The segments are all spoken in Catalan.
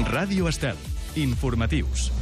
Ràdio Estel. Informatius.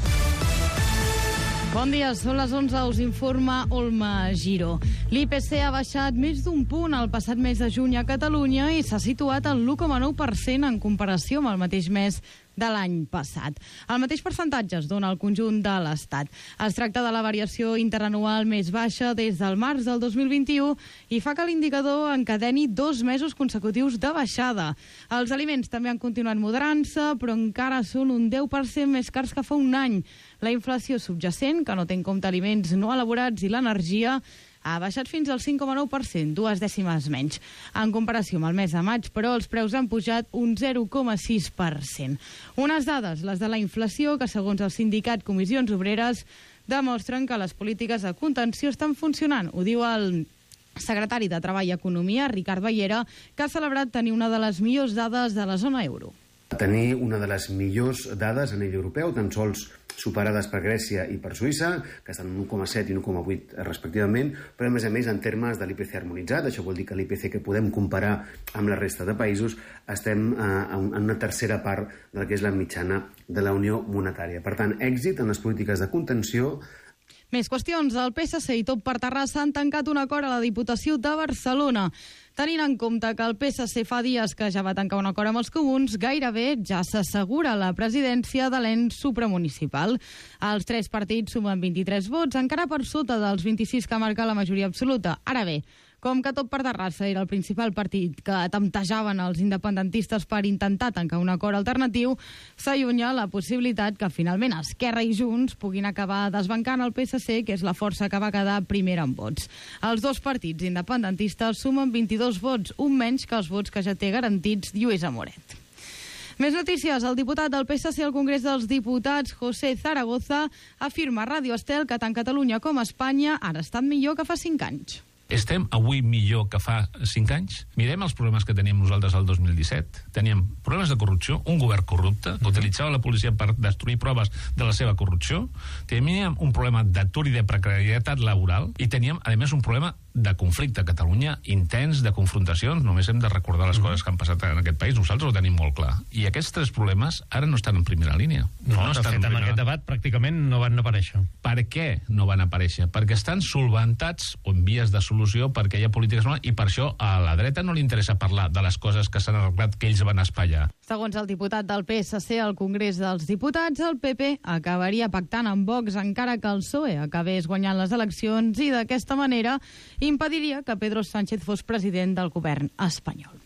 Bon dia, són les 11, us informa Olma Giró. L'IPC ha baixat més d'un punt el passat mes de juny a Catalunya i s'ha situat al 1,9% en comparació amb el mateix mes de l'any passat. El mateix percentatge es dona al conjunt de l'Estat. Es tracta de la variació interanual més baixa des del març del 2021 i fa que l'indicador encadeni 2 mesos consecutius de baixada. Els aliments també han continuat moderant-se, però encara són un 10% més cars que fa un any. La inflació subjacent, que no té en compte aliments no elaborats i l'energia, ha baixat fins al 5,9%, 2 dècimes menys. En comparació amb el mes de maig, però, els preus han pujat un 0,6%. Unes dades, les de la inflació, que segons el sindicat Comissions Obreres, demostren que les polítiques de contenció estan funcionant. Ho diu el secretari de Treball i Economia, Ricard Baiera, que ha celebrat tenir una de les millors dades de la zona euro. Tenir una de les millors dades a nivell europeu, tan sols superades per Grècia i per Suïssa, que estan en 1,7 i 1,8 respectivament, però a més en termes de l'IPC harmonitzat, això vol dir que l'IPC que podem comparar amb la resta de països, estem en una tercera part del que és la mitjana de la Unió Monetària. Per tant, èxit en les polítiques de contenció. Més qüestions. El PSC i Tot per Terrassa han tancat un acord a la Diputació de Barcelona. Tenint en compte que el PSC fa dies que ja va tancar un acord amb els comuns, gairebé ja s'assegura la presidència de l'ens supramunicipal. Els 3 partits sumen 23 vots, encara per sota dels 26 que marca la majoria absoluta. Ara bé, com que Tot per Terrassa era el principal partit que temptejaven els independentistes per intentar tancar un acord alternatiu, s'allunya la possibilitat que finalment Esquerra i Junts puguin acabar desbancant el PSC, que és la força que va quedar primera en vots. Els 2 partits independentistes sumen 22 vots, un menys que els vots que ja té garantits Lluís Amoret. Més notícies. El diputat del PSC al Congrés dels Diputats, José Zaragoza, afirma a Ràdio Estel que tant Catalunya com Espanya ara estan millor que fa 5 anys. Estem avui millor que fa 5 anys? Mirem els problemes que teníem nosaltres al 2017. Teníem problemes de corrupció, un govern corrupte, que utilitzava la policia per destruir proves de la seva corrupció. Teníem un problema d'atur i de precarietat laboral i teníem, a més, un problema de conflicte a Catalunya, intens, de confrontacions. Només hem de recordar les coses que han passat en aquest país. Nosaltres ho tenim molt clar. I aquests 3 problemes ara no estan en primera línia. No de fet, en aquest debat pràcticament no van aparèixer. Per què no van aparèixer? Perquè estan solventats o en vies de solució perquè hi ha polítiques i per això a la dreta no li interessa parlar de les coses que s'han arreglat que ells van espaiar. Segons el diputat del PSC al Congrés dels Diputats, el PP acabaria pactant amb Vox encara que el PSOE acabés guanyant les eleccions i d'aquesta manera impediria que Pedro Sánchez fos president del govern espanyol.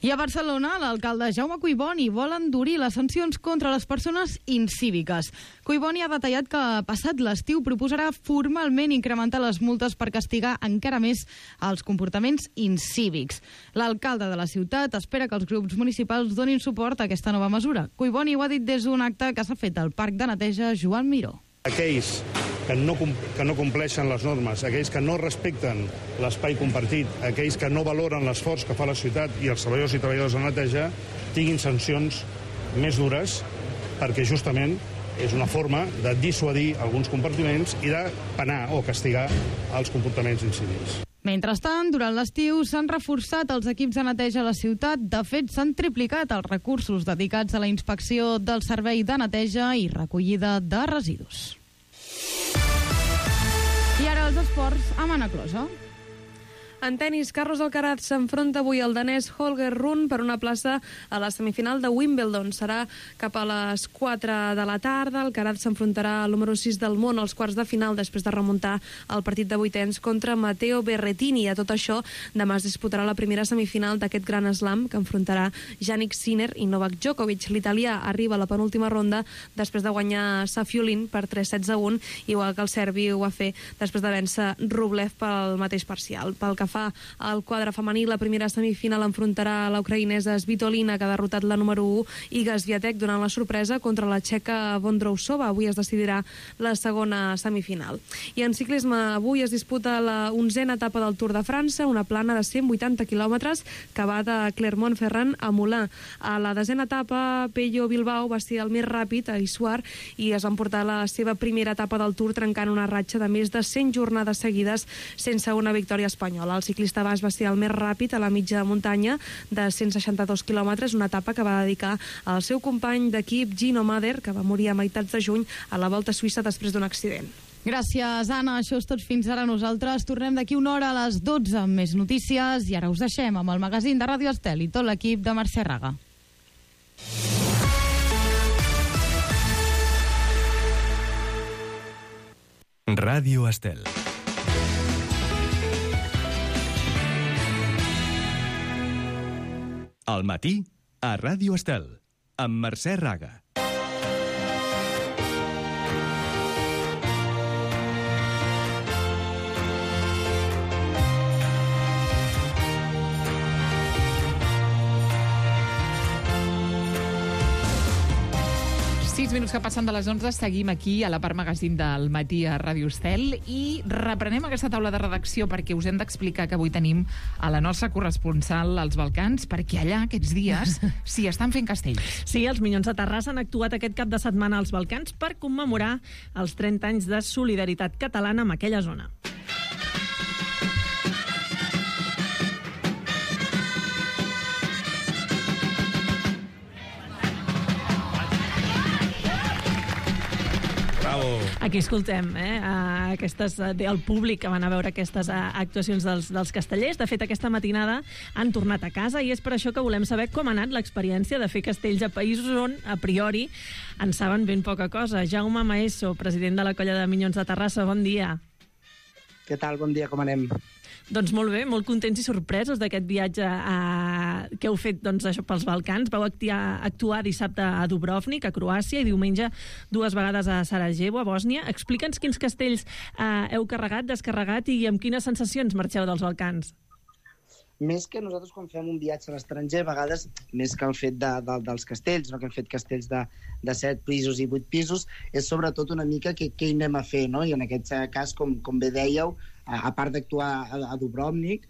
I a Barcelona, l'alcalde Jaume Collboni vol endurir les sancions contra les persones incíviques. Collboni ha detallat que passat l'estiu proposarà formalment incrementar les multes per castigar encara més els comportaments incívics. L'alcalde de la ciutat espera que els grups municipals donin suport a aquesta nova mesura. Collboni ho ha dit des d'un acte que s'ha fet al Parc de Neteja Joan Miró. Aquells que no compleixen les normes, aquells que no respecten l'espai compartit, aquells que no valoren l'esforç que fa la ciutat i els treballadors i treballadores de neteja, tinguin sancions més dures, perquè justament és una forma de dissuadir alguns comportaments i de penar o castigar els comportaments incívics. Mentrestant, durant l'estiu s'han reforçat els equips de neteja a la ciutat. De fet, s'han triplicat els recursos dedicats a la inspecció del servei de neteja i recollida de residus. I ara els esports amb Anna Closa. En tenis, Carlos Alcaraz s'enfronta avui al danès Holger Rune per una plaça a la semifinal de Wimbledon. Serà cap a les 4 de la tarda. Alcaraz s'enfrontarà al número 6 del món als quarts de final després de remuntar el partit de vuitens contra Matteo Berrettini. A tot això, demà es disputarà la primera semifinal d'aquest gran slam que enfrontarà Jannik Sinner i Novak Djokovic. L'italià arriba a la penúltima ronda després de guanyar Safiullin per 3-7-1, igual que el serbi ho va fer després de vèncer Rublev pel mateix parcial. Pel que fa al quadre femení, la primera semifinal enfrontarà la ucraïnesa Svitolina, que ha derrotat la número 1, Iga Swiatek, donant la sorpresa contra la txeca Vondrousova. Avui es decidirà la segona semifinal. I en ciclisme, avui es disputa la 11a etapa del Tour de França, una plana de 180 quilòmetres que va de Clermont-Ferrand a Moulins. A la 10a etapa, Pello Bilbao va ser el més ràpid a Issoire i es va emportar la seva primera etapa del Tour, trencant una ratxa de més de 100 jornades seguides sense una victòria espanyola. El ciclista basc va ser el més ràpid a la mitja muntanya de 162 quilòmetres, una etapa que va dedicar al seu company d'equip Gino Mader, que va morir a meitats de juny a la Volta a Suïssa després d'un accident. Gràcies, Anna. Això és tot fins ara. Nosaltres tornem d'aquí una hora a les 12 amb més notícies i ara us deixem amb el magazín de Ràdio Estel i tot l'equip de Mercè Raga. Ràdio Estel. Al matí, a Ràdio Estel, amb Mercè Raga. Minuts que passen de les 11, seguim aquí a la part magazín del matí a Ràdio Estel i reprenem aquesta taula de redacció perquè us hem d'explicar que avui tenim a la nostra corresponsal als Balcans, perquè allà aquests dies s'hi estan fent castells. Sí, els Minyons de Terrassa han actuat aquest cap de setmana als Balcans per commemorar els 30 anys de solidaritat catalana en aquella zona. Aquí escoltem el públic que van a veure aquestes actuacions dels castellers. De fet, aquesta matinada han tornat a casa i és per això que volem saber com ha anat l'experiència de fer castells a països on, a priori, en saben ben poca cosa. Jaume Maeso, president de la colla de Minyons de Terrassa, bon dia. Què tal? Bon dia, com anem? Doncs molt bé, molt contents i sorpresos d'aquest viatge que heu fet això pels Balcans. Vau actuar dissabte a Dubrovnik, a Croàcia, i diumenge 2 vegades a Sarajevo, a Bòsnia. Explica'ns quins castells heu carregat, descarregat i amb quines sensacions marxeu dels Balcans. Més que nosaltres quan fem un viatge a l'estranger, a vegades, més que el fet dels castells, no? Que hem fet castells de 7 pisos i 8 pisos, és sobretot una mica què hi anem a fer, no? I en aquest cas, com bé dèieu, a part d'actuar a Dubrovnik,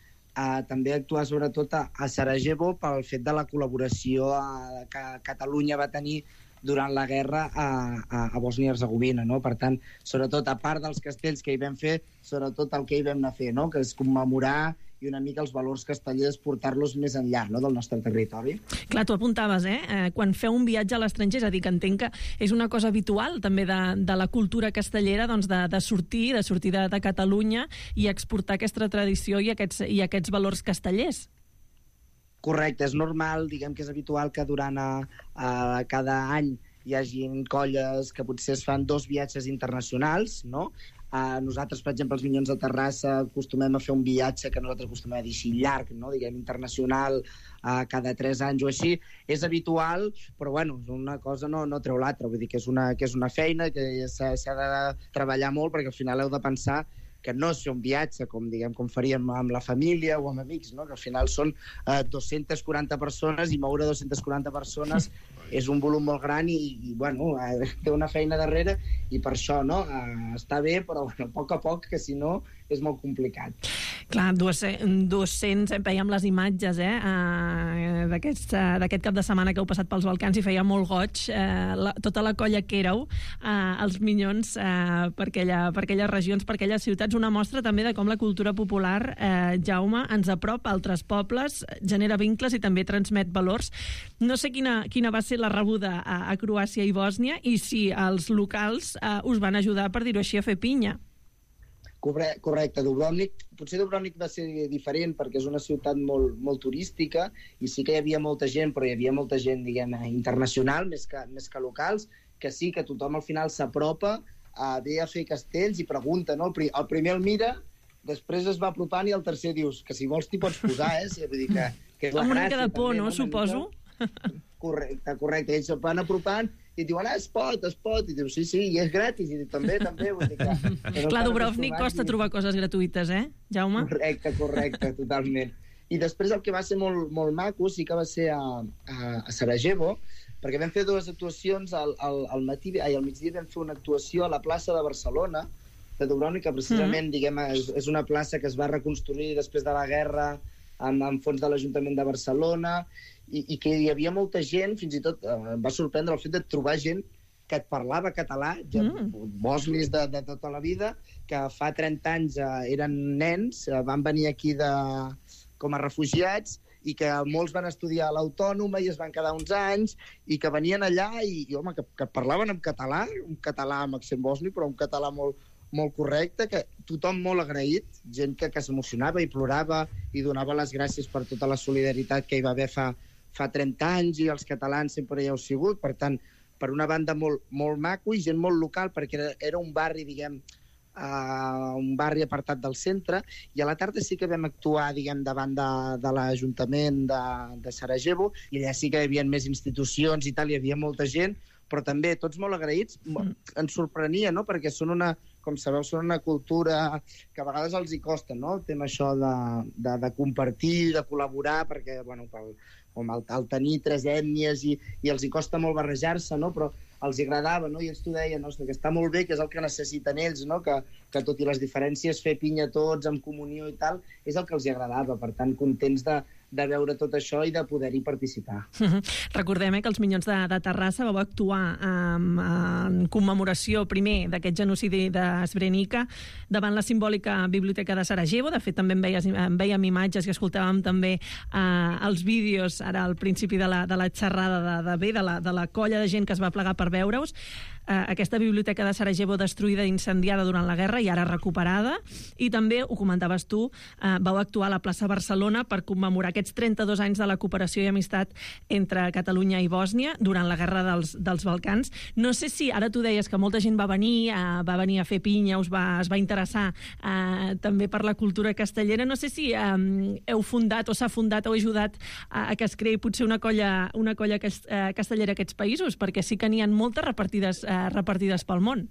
també actuar sobretot a Sarajevo pel fet de la col·laboració que Catalunya va tenir durant la guerra a Bòsnia i Hercegovina, no? Per tant, sobretot, a part dels castells que hi vam fer, sobretot el que hi vam anar a fer, no? Que és commemorar i una mica els valors castellers, portar-los més enllà, no?, del nostre territori. Clar, tu apuntaves, quan feu un viatge a l'estranger, és a dir, que entenc que és una cosa habitual també de la cultura castellera, doncs de sortir de Catalunya i exportar aquesta tradició i aquests valors castellers. Correcte, és normal, diguem que és habitual que durant cada any hi hagi colles que potser es fan 2 viatges internacionals, no? Nosaltres, per exemple, els Minyons de Terrassa acostumem a fer un viatge que nosaltres acostumem a dir així llarg, no? Diguem internacional, cada 3 anys o així. És habitual, però bueno, una cosa no treu l'altra. Vull dir que és una feina que s'ha de treballar molt, perquè al final heu de pensar que no és fer un viatge com faríem amb la família o amb amics, no? Que al final són 240 persones i moure 240 persones és un volum molt gran i bueno, té una feina darrere i per això, no? Està bé, però bueno, a poc, que si no és molt complicat. Clar, 200, veiem les imatges d'aquest cap de setmana que heu passat pels Balcans i feia molt goig tota la colla que éreu, els Minyons per aquelles regions, per aquelles ciutats, una mostra també de com la cultura popular, Jaume, ens apropa a altres pobles, genera vincles i també transmet valors. No sé quina va ser la rebuda a Croàcia i Bòsnia i si els locals us van ajudar, per dir-ho així, a fer pinya. Correcte, potser Dubrovnik va ser diferent perquè és una ciutat molt turística i sí que hi havia molta gent, però hi havia molta gent, diguem, internacional, més que locals, que sí que tothom al final s'apropa ve a fer castells i pregunta, no? El primer el mira, després es va apropant i el tercer dius que si vols t'hi pots posar, vull dir que és la gràcia. Una mica de por, no? Suposo. Correcte, ells van apropant i et diuen, es pot, i dius, sí, i és gratis, i també, vull dir que... Clar, Dubrovnik costa trobar coses gratuïtes, Jaume? Correcte, totalment. I després el que va ser molt maco sí que va ser a Sarajevo, perquè vam fer 2 actuacions al migdia vam fer una actuació a la plaça de Barcelona, de Dubrovnik, que precisament, diguem, és una plaça que es va reconstruir després de la guerra amb fons de l'Ajuntament de Barcelona, i que hi havia molta gent, fins i tot em va sorprendre el fet de trobar gent que et parlava català, bosnis de tota la vida, que fa 30 anys eren nens, van venir aquí com a refugiats, i que molts van estudiar a l'Autònoma i es van quedar uns anys, i que venien allà i home, que parlaven en català, un català amb accent bosni, però un català molt correcte, que tothom molt agraït, gent que s'emocionava i plorava i donava les gràcies per tota la solidaritat que hi va haver fa 30 anys, i els catalans sempre hi heu sigut. Per tant, per una banda molt maco i gent molt local, perquè era un barri, diguem, un barri apartat del centre, i a la tarda sí que vam actuar, diguem, davant de l'Ajuntament de Sarajevo, i allà sí que hi havia més institucions i tal, hi havia molta gent, però també tots molt agraïts. Ens sorprenia, no?, perquè com sabeu, són una cultura que a vegades els hi costa, no?, el tema això de compartir, de col·laborar, perquè, bueno, al tenir 3 ètnies i els hi costa molt barrejar-se, no?, però els agradava, no?, i ells t'ho deien, no?, que està molt bé, que és el que necessiten ells, no?, que tot i les diferències, fer pinya tots, amb comunió i tal, és el que els agradava. Per tant, contents de veure tot això i de poder-hi participar. Recordem que els Minyons de Terrassa vau actuar en commemoració primer d'aquest genocidi de Srebrenica davant la simbòlica Biblioteca de Sarajevo. De fet, també en vèiem imatges i escoltàvem també els vídeos ara al principi de la xerrada de la colla de gent que es va plegar per veure-us. Aquesta biblioteca de Sarajevo destruïda i incendiada durant la guerra i ara recuperada, i també, ho comentaves tu, vau actuar a la plaça Barcelona per commemorar aquests 32 anys de la cooperació i amistat entre Catalunya i Bòsnia durant la guerra dels Balcans. No sé si, ara tu deies que molta gent va venir a fer pinya, es va interessar també per la cultura castellera. No sé si heu fundat o s'ha fundat o ajudat a que es creï potser una colla castellera a aquests països, perquè sí que n'hi ha moltes repartides pel món.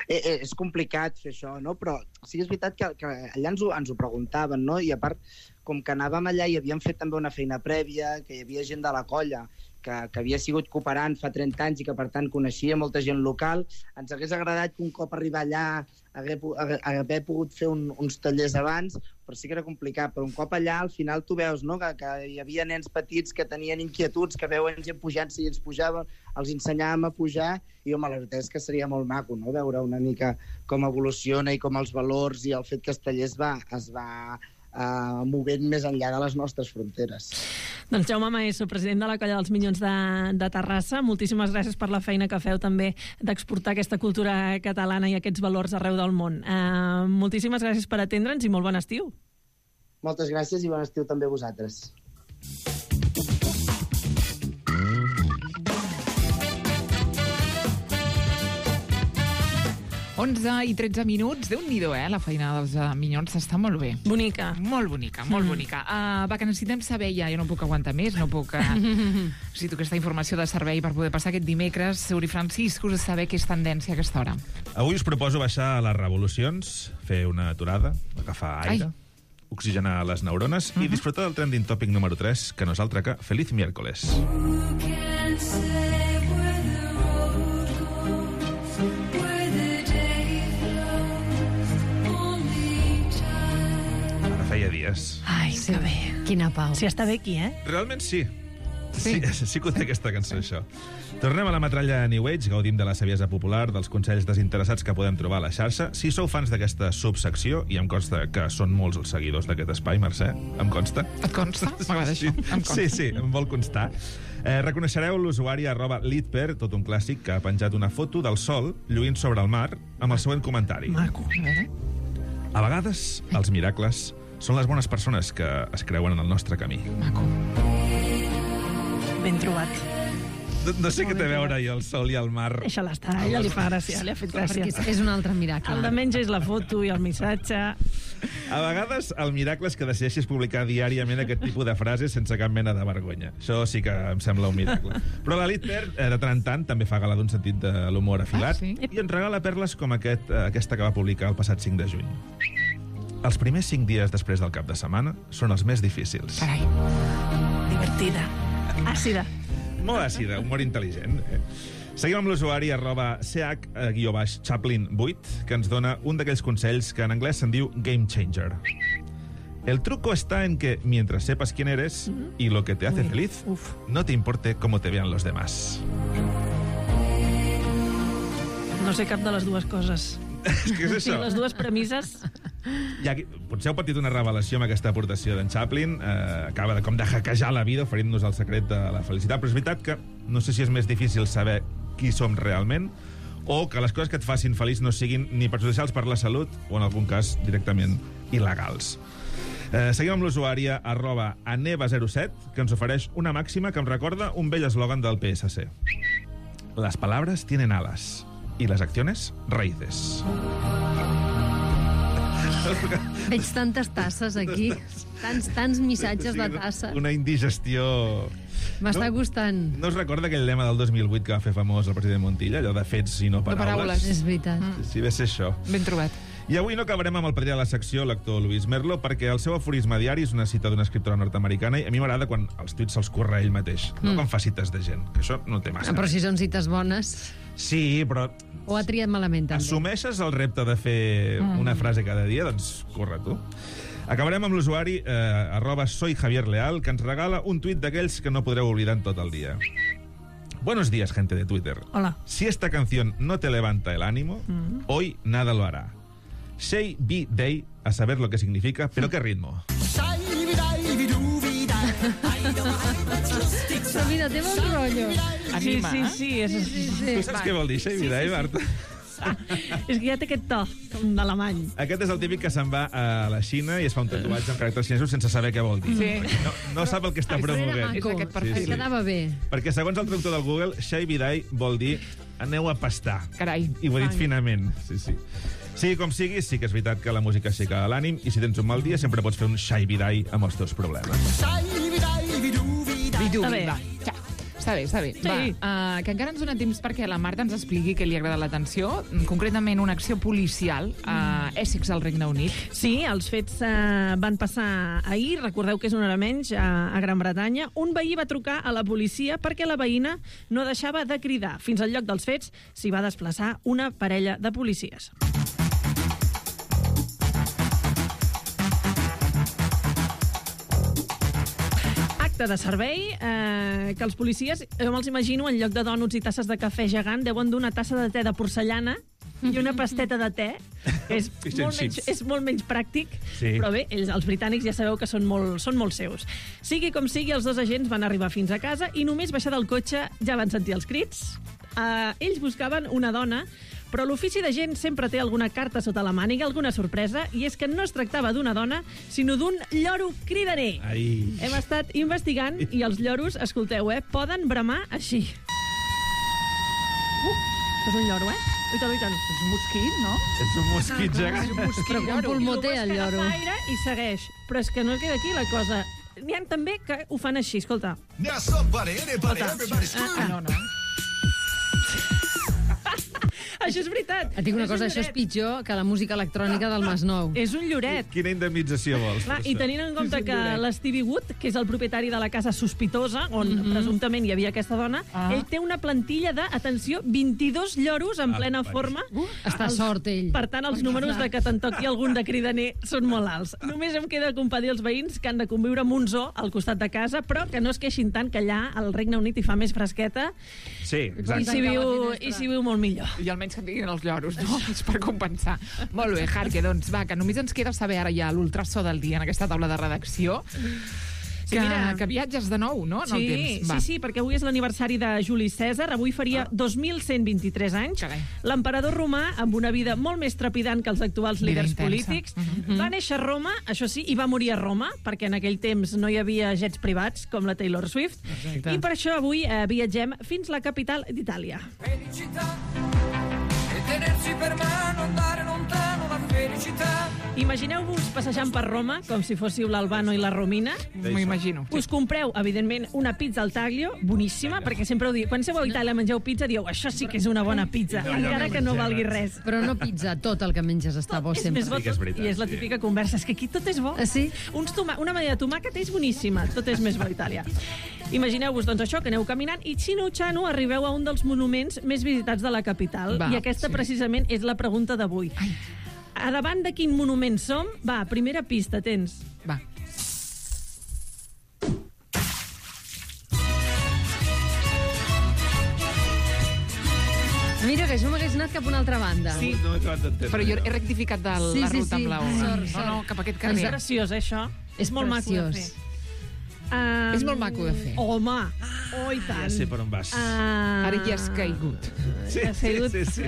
És complicat fer això, no? Però sí que és veritat que allà ens ho preguntaven, no? I a part, com que anàvem allà i havíem fet també una feina prèvia, que hi havia gent de la colla que havia sigut cooperant fa 30 anys i que, per tant, coneixia molta gent local, ens hagués agradat que un cop arribar allà haver pogut fer uns tallers abans, però sí que era complicat. Però un cop allà, al final tu veus, no?, que hi havia nens petits que tenien inquietuds, que veuen gent pujant, si ells pujaven, els ensenyàvem a pujar, i home, la veritat és que seria molt maco, no?, veure una mica com evoluciona i com els valors i el fet que el taller es va movent més enllà de les nostres fronteres. Doncs Jaume Maeso, president de la colla dels Minyons de Terrassa, moltíssimes gràcies per la feina que feu també d'exportar aquesta cultura catalana i aquests valors arreu del món. Moltíssimes gràcies per atendre'ns i molt bon estiu. Moltes gràcies i bon estiu també a vosaltres. 11 i 13 minuts, Déu-n'hi-do, la feina dels Minyons està molt bé. Bonica. Molt bonica, molt bonica. Va, que necessitem saber ja, jo no puc aguantar més, no puc... necessito aquesta informació de servei per poder passar aquest dimecres. Uri Francisco, us saber què és tendència a aquesta hora. Avui us proposo baixar a les revolucions, fer una aturada, agafar aire, oxigenar les neurones i disfrutar del trending topic número 3, que no és altre que Feliz Miércoles. Feia dies. Ai, que bé. Quina pau. Sí, està bé aquí, Realment sí. Sí que ho té aquesta cançó, això. Tornem a la metralla New Age, gaudim de la saviesa popular, dels consells desinteressats que podem trobar a la xarxa. Si sou fans d'aquesta subsecció, i em consta que són molts els seguidors d'aquest espai, Mercè, em consta. Et consta? M'agrada això. Sí, em vol constar. Reconeixereu l'usuari @litper, tot un clàssic, que ha penjat una foto del sol lluint sobre el mar amb el següent comentari. Maco. A vegades, els miracles són les bones persones que es creuen en el nostre camí. Maco. Ben trobat. No sé què té a veure i el sol i el mar. Deixa-la estar, a ella li fa gràcia, li ha fet gràcia. Perquè és un altre miracle. El de menys és la foto i el missatge. A vegades, el miracle és que decideixis publicar diàriament aquest tipus de frases sense cap mena de vergonya. Això sí que em sembla un miracle. Però la Litper, de tant en tant, també fa gala d'un sentit de l'humor afilat i ens regala perles com aquesta que va publicar el passat 5 de juny. Els primers 5 dies després del cap de setmana són els més difícils. Carai. Divertida. Àcida. Molt àcida, humor intel·ligent. Seguim amb l'usuari @ch_chaplin8, que ens dona un d'aquells consells que en anglès se'n diu Game Changer. El truco está en que, mientras sepas quién eres y lo que te hace feliz, no te importe cómo te vean los demás. no sé cap de les dues coses. És que és Sí, això. les dues premisses... Potser heu patit una revelació amb aquesta aportació d'en Chaplin. Acaba de hackejar la vida oferint-nos el secret de la felicitat. Però és veritat que no sé si és més difícil saber qui som realment o que les coses que et facin feliç no siguin ni perjudicials per la salut o, en algun cas, directament il·legals. Seguim amb l'usuària @aneva07, que ens ofereix una màxima que em recorda un vell eslògan del PSC. Las palabras tienen alas y las acciones raíces. Veig tantes tasses aquí, tants missatges de tassa. Una indigestió... M'està gustant. No us recorda aquell lema del 2008 que va fer famós el president Montilla, allò de fets i no paraules? És veritat. Sí, va ser això. Ben trobat. I avui no acabarem amb el padrí de la secció, l'actor Luis Merlo, perquè el seu aforisme diari és una cita d'una escriptora nord-americana i a mi m'agrada quan els tuits se'ls curra ell mateix, no quan fa cites de gent, que això no té massa. Però si són cites bones... Sí, però... O ha triat malament, també. Assumeixes el repte de fer una frase cada dia? Doncs corre tu. Acabarem amb l'usuari @soyjavierleal, que ens regala un tuit d'aquells que no podreu oblidar en tot el dia. Buenos días, gente de Twitter. Hola. Si esta canción no te levanta el ánimo, hoy nada lo hará. Say be day, a saber lo que significa, pero qué ritmo. Però mira, té bon rotllo. Anima, Sí. Tu saps què vol dir, Say be day, Marta? És que ja té aquest to, com d'alemany. Aquest és el típic que se'n va a la Xina i es fa un tatuatge amb caràcters xinesos sense saber què vol dir. Sí. No sap el que està promovent. És aquest perfil. Sí, sí. Quedava bé. Perquè segons el traductor del Google, Shai Bidai vol dir aneu a pastar. Carai. I ho he dit finament. Sí. Sigui com sigui, sí que és veritat que la música aixeca l'ànim i si tens un mal dia sempre pots fer un Shai Bidai amb els teus problemes. Està bé. Està bé. Sí. Va, que encara ens dona temps perquè la Marta ens expliqui què li ha agradat l'atenció, concretament una acció policial a Essex, al Regne Unit. Sí, els fets van passar ahir, recordeu que és una hora menys, a Gran Bretanya. Un veí va trucar a la policia perquè la veïna no deixava de cridar. Fins al lloc dels fets s'hi va desplaçar una parella de policies. De servei, que els policies, jo me'ls imagino, en lloc de dònuts i tasses de cafè gegant, deuen dur una tassa de te de porcellana i una pasteta de te, que és molt menys pràctic, sí. Però bé, els britànics ja sabeu que són molt seus. Sigui com sigui, els dos agents van arribar fins a casa i només baixar del cotxe ja van sentir els crits. Ells buscaven una dona, però l'ofici d'agent sempre té alguna carta sota la màniga, alguna sorpresa, i és que no es tractava d'una dona, sinó d'un lloro cridaner. Ai. Hem estat investigant i els lloros, escolteu, poden bramar així. És un lloro, Uita. És un mosquit, no? És un mosquit gegant. Però com pulmó té el lloro. Aire i segueix. Però és que no queda aquí la cosa. N'hi ha també que ho fan així, escolta. No. Això és veritat. Et dic una cosa, això és pitjor que la música electrònica del Masnou. És un lloret. Quina indemnització vols? Clar, i tenint en compte que l'Stevie Wood, que és el propietari de la casa sospitosa, on presumptament hi havia aquesta dona, ell té una plantilla de, atenció, 22 lloros en plena forma. Està sort, ell. Per tant, els números de que te'n toqui algun de cridaner són molt alts. Només em queda compadir els veïns que han de conviure amb un zoo al costat de casa, però que no es queixin tant que allà al Regne Unit hi fa més fresqueta Sí, i exacte. s'hi viu molt millor. I almenys que tinguin els lloros, no? És per compensar. Molt bé, Jarque, doncs va, que només ens queda saber ara ja l'ultrasó del dia en aquesta taula de redacció. Sí, mira, que viatges de nou, no?, en el temps. Va. Sí, perquè avui és l'aniversari de Juli Cèsar, avui faria 2123 anys. Carai. L'emperador romà, amb una vida molt més trepidant que els actuals Vida líders intensa. polítics, va néixer a Roma, això sí, i va morir a Roma, perquè en aquell temps no hi havia jets privats, com la Taylor Swift, Exacte. i per això avui viatgem fins la capital d'Itàlia. Imagineu-vos passejant per Roma com si fóssiu l'Albano i la Romina. M'ho imagino. Us compreu, evidentment, una pizza al taglio, boníssima, perquè sempre ho diu. Quan seu a Itàlia mengeu pizza, dieu, això sí que és una bona pizza, encara que no valgui res. Però no pizza, tot el que menges està bo És sempre. més bo Sí que és tot, veritat, i és la sí. típica conversa. És que aquí tot és bo. Ah, sí? Una manera de tomàquet és boníssima. Tot és més bo a Itàlia. Imagineu-vos, doncs, això, que aneu caminant i xino-xano arribeu a un dels monuments més visitats de la capital. Va, I aquesta, precisament, és la pregunta d'avui. A davant de quin monument som? Va, primera pista, tens. Va. Mira, que jo m'hagués anat cap a una altra banda. Sí, No m'he acabat d'entendre. però jo he rectificat de la ruta amb la O. No, cap a aquest És carrer. graciós, això. És molt maco de fer. És molt maco de fer. Home, oh, i tant. Ja sé per on vas. Ara ja has caigut. Sí, Ha caigut. sí.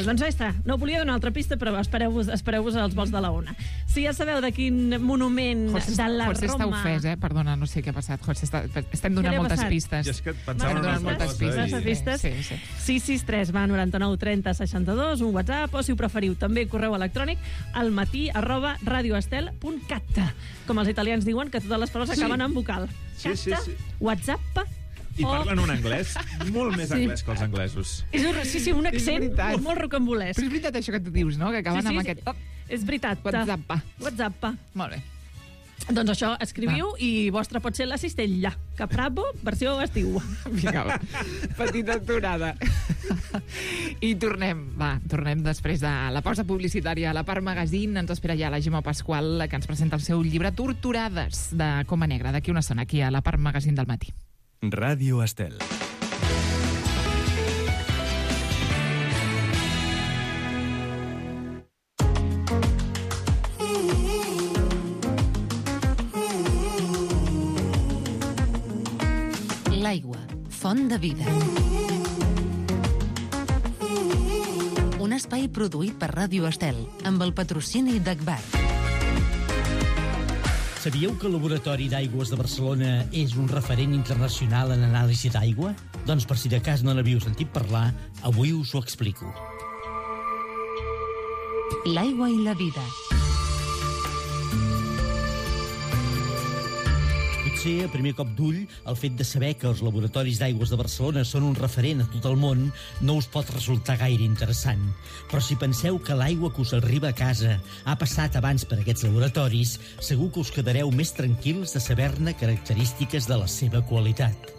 Doncs ja està. No volia donar una altra pista, però espereu-vos als vols de la Ona. Si ja sabeu de quin monument de la José està Roma... ofès, Perdona, no sé què ha passat. José, estem donant Què li ha moltes passat? pistes. Jo és que pensava Estem en donant una moltes cosa pistes. i- pistes? Sí. 663 va 99 30 62, un WhatsApp, o si ho preferiu, també correu electrònic al matí@radioestel.cat. Com els italians diuen, que totes les paraules acaben en vocal. Sí, sí, sí. WhatsApp. I parlen un anglès molt més anglès que els anglesos. Sí, un accent veritat. molt rocambolesc. Però és veritat això que tu dius, no? Que acaben amb aquest... És veritat. WhatsApp. Molt bé. Doncs això, escriviu i vostra pot ser la cistella. Capravo, versió estiu. Vinga, va. Petita aturada. I tornem després de la pausa publicitària a la Part Magazine. Ens espera ja la Gemma Pasqual, que ens presenta el seu llibre Torturades, de Coma Negra, d'aquí una estona, aquí a la Part Magazine del matí. Ràdio Estel. L'aigua, font de vida. Un espai produït per Ràdio Estel, amb el patrocini d'Agbar. Sabíeu que el Laboratori d'Aigües de Barcelona és un referent internacional en anàlisi d'aigua? Doncs per si de cas no n'havíeu sentit parlar, avui us ho explico. L'aigua i la vida. Potser, a primer cop d'ull, el fet de saber que els laboratoris d'aigües de Barcelona són un referent a tot el món no us pot resultar gaire interessant. Però si penseu que l'aigua que us arriba a casa ha passat abans per aquests laboratoris, segur que us quedareu més tranquils de saber-ne característiques de la seva qualitat.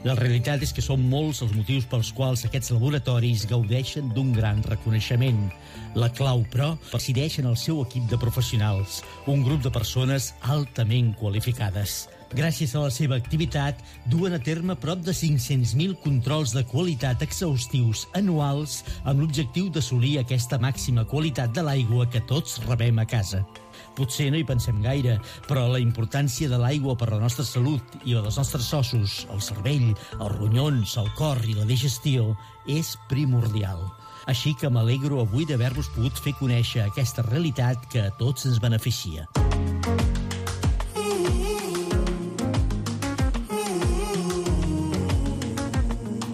La realitat és que són molts els motius pels quals aquests laboratoris gaudeixen d'un gran reconeixement. La clau, però, resideix en el seu equip de professionals, un grup de persones altament qualificades. Gràcies a la seva activitat, duen a terme prop de 500.000 controls de qualitat exhaustius anuals amb l'objectiu d'assolir aquesta màxima qualitat de l'aigua que tots rebem a casa. Potser no hi pensem gaire, però la importància de l'aigua per la nostra salut i la dels nostres ossos, el cervell, els ronyons, el cor i la digestió és primordial. Així que m'alegro avui d'haver-vos pogut fer conèixer aquesta realitat que a tots ens beneficia.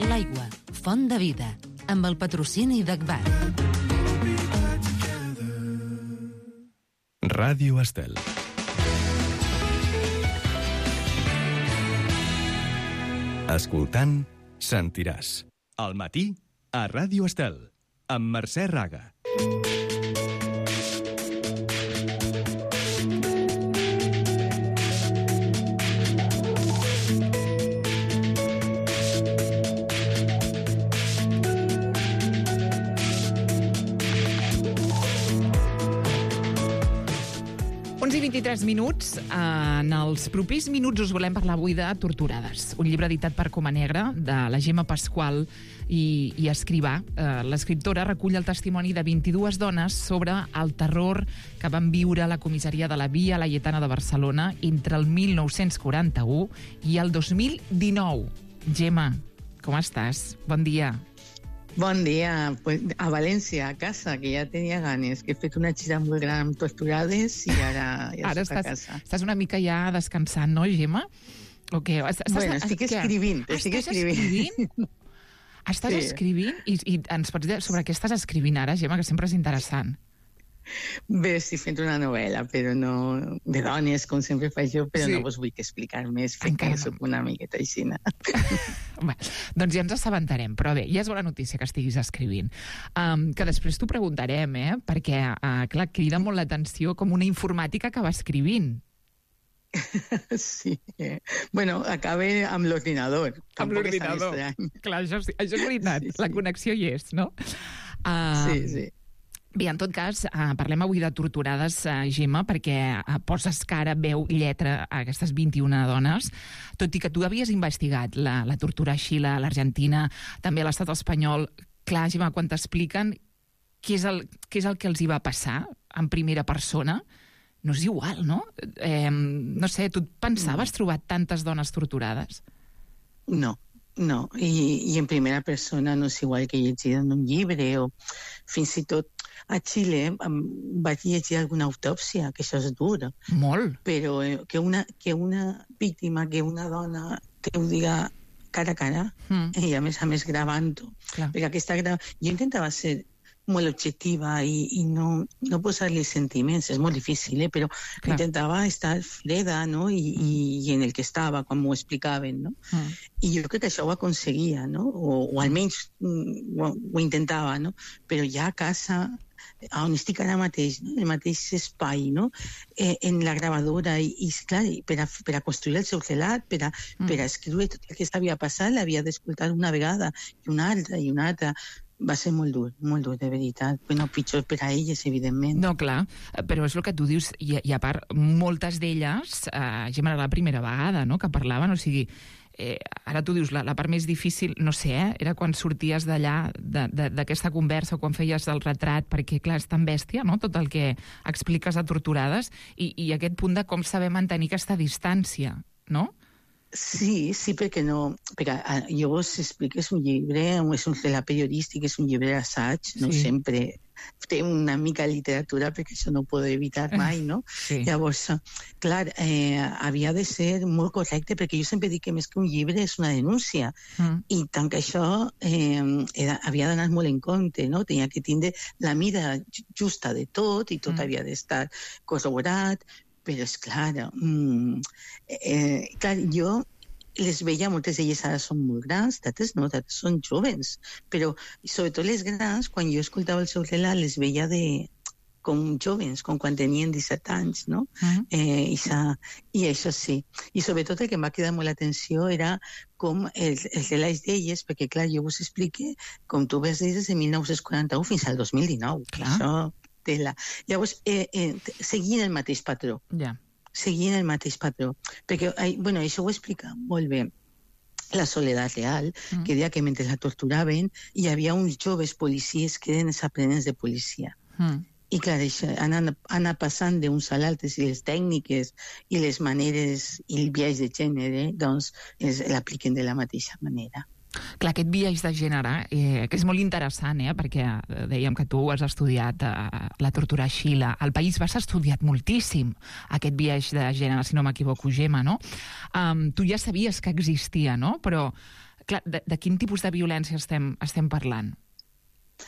L'aigua, font de vida, amb el patrocini d'Agbar. Ràdio Estel. Escoltant, sentiràs. Al matí, a Ràdio Estel, amb Mercè Raga. Uns i 23 minuts. En els propers minuts us volem parlar avui de Torturades, un llibre editat per Coma Negra, de la Gemma Pasqual i Escrivà. L'escriptora recull el testimoni de 22 dones sobre el terror que van viure a la comissaria de la Via Laietana de Barcelona entre el 1941 i el 2019. Gemma, com estàs? Bon dia. Bon dia, pues a València, a casa, que ja tenia ganes, que he fet una gira molt gran amb Torturades i ara estic a casa. Estàs una mica ja descansant, no, Gemma? O què? Bueno, estic escrivint. Estàs escrivint? I ens pots dir sobre què estàs escrivint ara, Gemma, que sempre és interessant. Bé, estic fent una novel·la, però no de dones, com sempre faig jo, però no vos vull explicar més, perquè soc una miqueta aixina. Bé, doncs ja ens assabentarem, però bé, ja és bona notícia que estiguis escrivint. Que després t'ho preguntarem, perquè, clar, crida molt l'atenció com una informàtica que va escrivint. Sí. Bueno, acabe amb l'ordinador. Amb l'ordinador. Clar, això és veritat, la connexió hi és, no? Sí. Bé, en tot cas, parlem avui de Torturades, Gemma, perquè poses cara, veu, lletra a aquestes 21 dones, tot i que tu havies investigat la tortura a Xile, a l'Argentina, també a l'estat espanyol. clar, Gemma, quan t'expliquen què és el que els hi va passar en primera persona, no és igual, no? No sé, tu et pensaves trobar tantes dones torturades? No, i en primera persona no és igual que llegir en un llibre o fins i tot a Xile vaig llegir alguna autòpsia, que això és dur. Molt. Però que una víctima, que una dona te ho diga cara a cara, i a més gravant-ho. Perquè jo intentava ser molt objectiva i no posar-li sentiments, és molt difícil, però intentava estar freda, no? I en el que estava, quan m'ho explicaven, no? I jo crec que això ho aconseguia, no? O almenys ho intentava, no? Però ja a casa, on estic ara mateix, no? El mateix espai, no? En la gravadora, i clar, per a construir el seu relat, per a escriure tot el que s'havia passat, l'havia d'escoltar una vegada, i una altra, va ser molt dur, de veritat. Bueno, pitjor per a elles, evidentment. No, clar, però és el que tu dius, i a part, moltes d'elles, Gemma, era la primera vegada, no?, que parlaven, o sigui, ara tu dius, la part més difícil, no sé, era quan sorties d'allà, d'aquesta conversa, quan feies el retrat, perquè, clar, és tan bèstia, no?, tot el que expliques a Torturades, i aquest punt de com saber mantenir aquesta distància, no? Sí, perquè no... Perquè jo vos explico, és un llibre, és un relat periodístic, és un llibre d'assaig, no sempre té una mica de literatura, perquè això no ho puedo evitar mai, no? Llavors, clar, havia de ser molt correcte, perquè jo sempre dic que més que un llibre és una denúncia, i tant que això havia d'anar molt en compte, no? Tenia que tindre la mida justa de tot, i tot havia d'estar corroborat, però és clar, jo les veia, moltes d'elles ara són molt grans, d'altres no, d'altres són joves, però sobretot les grans, quan jo escoltava el seu relat, les veia com joves, com quan tenien 17 anys, no? I això sí. I sobretot el que em va cridar molt l'atenció era com els relats d'elles, perquè clar, jo vos explique, com tu vas dir, des de 1941 fins al 2019. Això... Llavors, seguint el mateix patró. Seguint el mateix patró. Perquè, això ho explica molt bé la Soledad Real, que deia que mentre la torturaven hi havia uns joves policies que eren els aprenents de policia. I clar, anar passant d'uns a l'altres, i les tècniques i les maneres i el biaix de gènere, doncs l'apliquen de la mateixa manera. Clar, aquest biaix de gènere, que és molt interessant, perquè dèiem que tu has estudiat la tortura a Xile. Al País Basc has estudiat moltíssim aquest biaix de gènere, si no m'equivoco, Gemma, no? Tu ja sabies que existia, no? Però, clar, de quin tipus de violència estem parlant?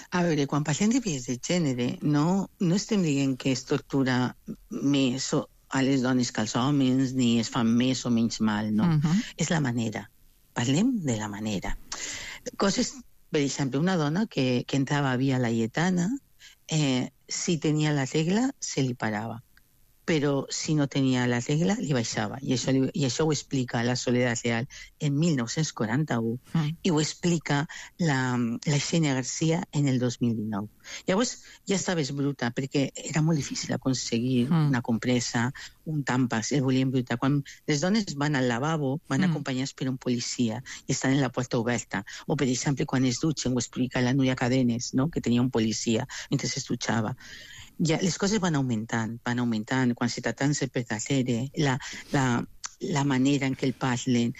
A veure, quan parlem de biaix de gènere, no estem dient que es tortura més a les dones que als homes, ni es fan més o menys mal, no. És la manera. Parlem de la manera. Coses, per exemple, una dona que entrava a Via Laietana, si tenia la regla, se li parava. Però si no tenia la regla, li baixava. I això ho explica la Soledad Real en 1941 i ho explica la Xenia García en el 2019. Llavors ja estaves bruta, perquè era molt difícil aconseguir una compresa, un tampax, el volien bruta. Quan les dones van al lavabo, van acompanyades per un policia i estan en la porta oberta. O, per exemple, quan es dutxen, ho explica la Núria Cadenes, no?, que tenia un policia mentre es dutxava. Ja, les coses van augmentant, quan se tracten de per darrere, la manera en què el parlen,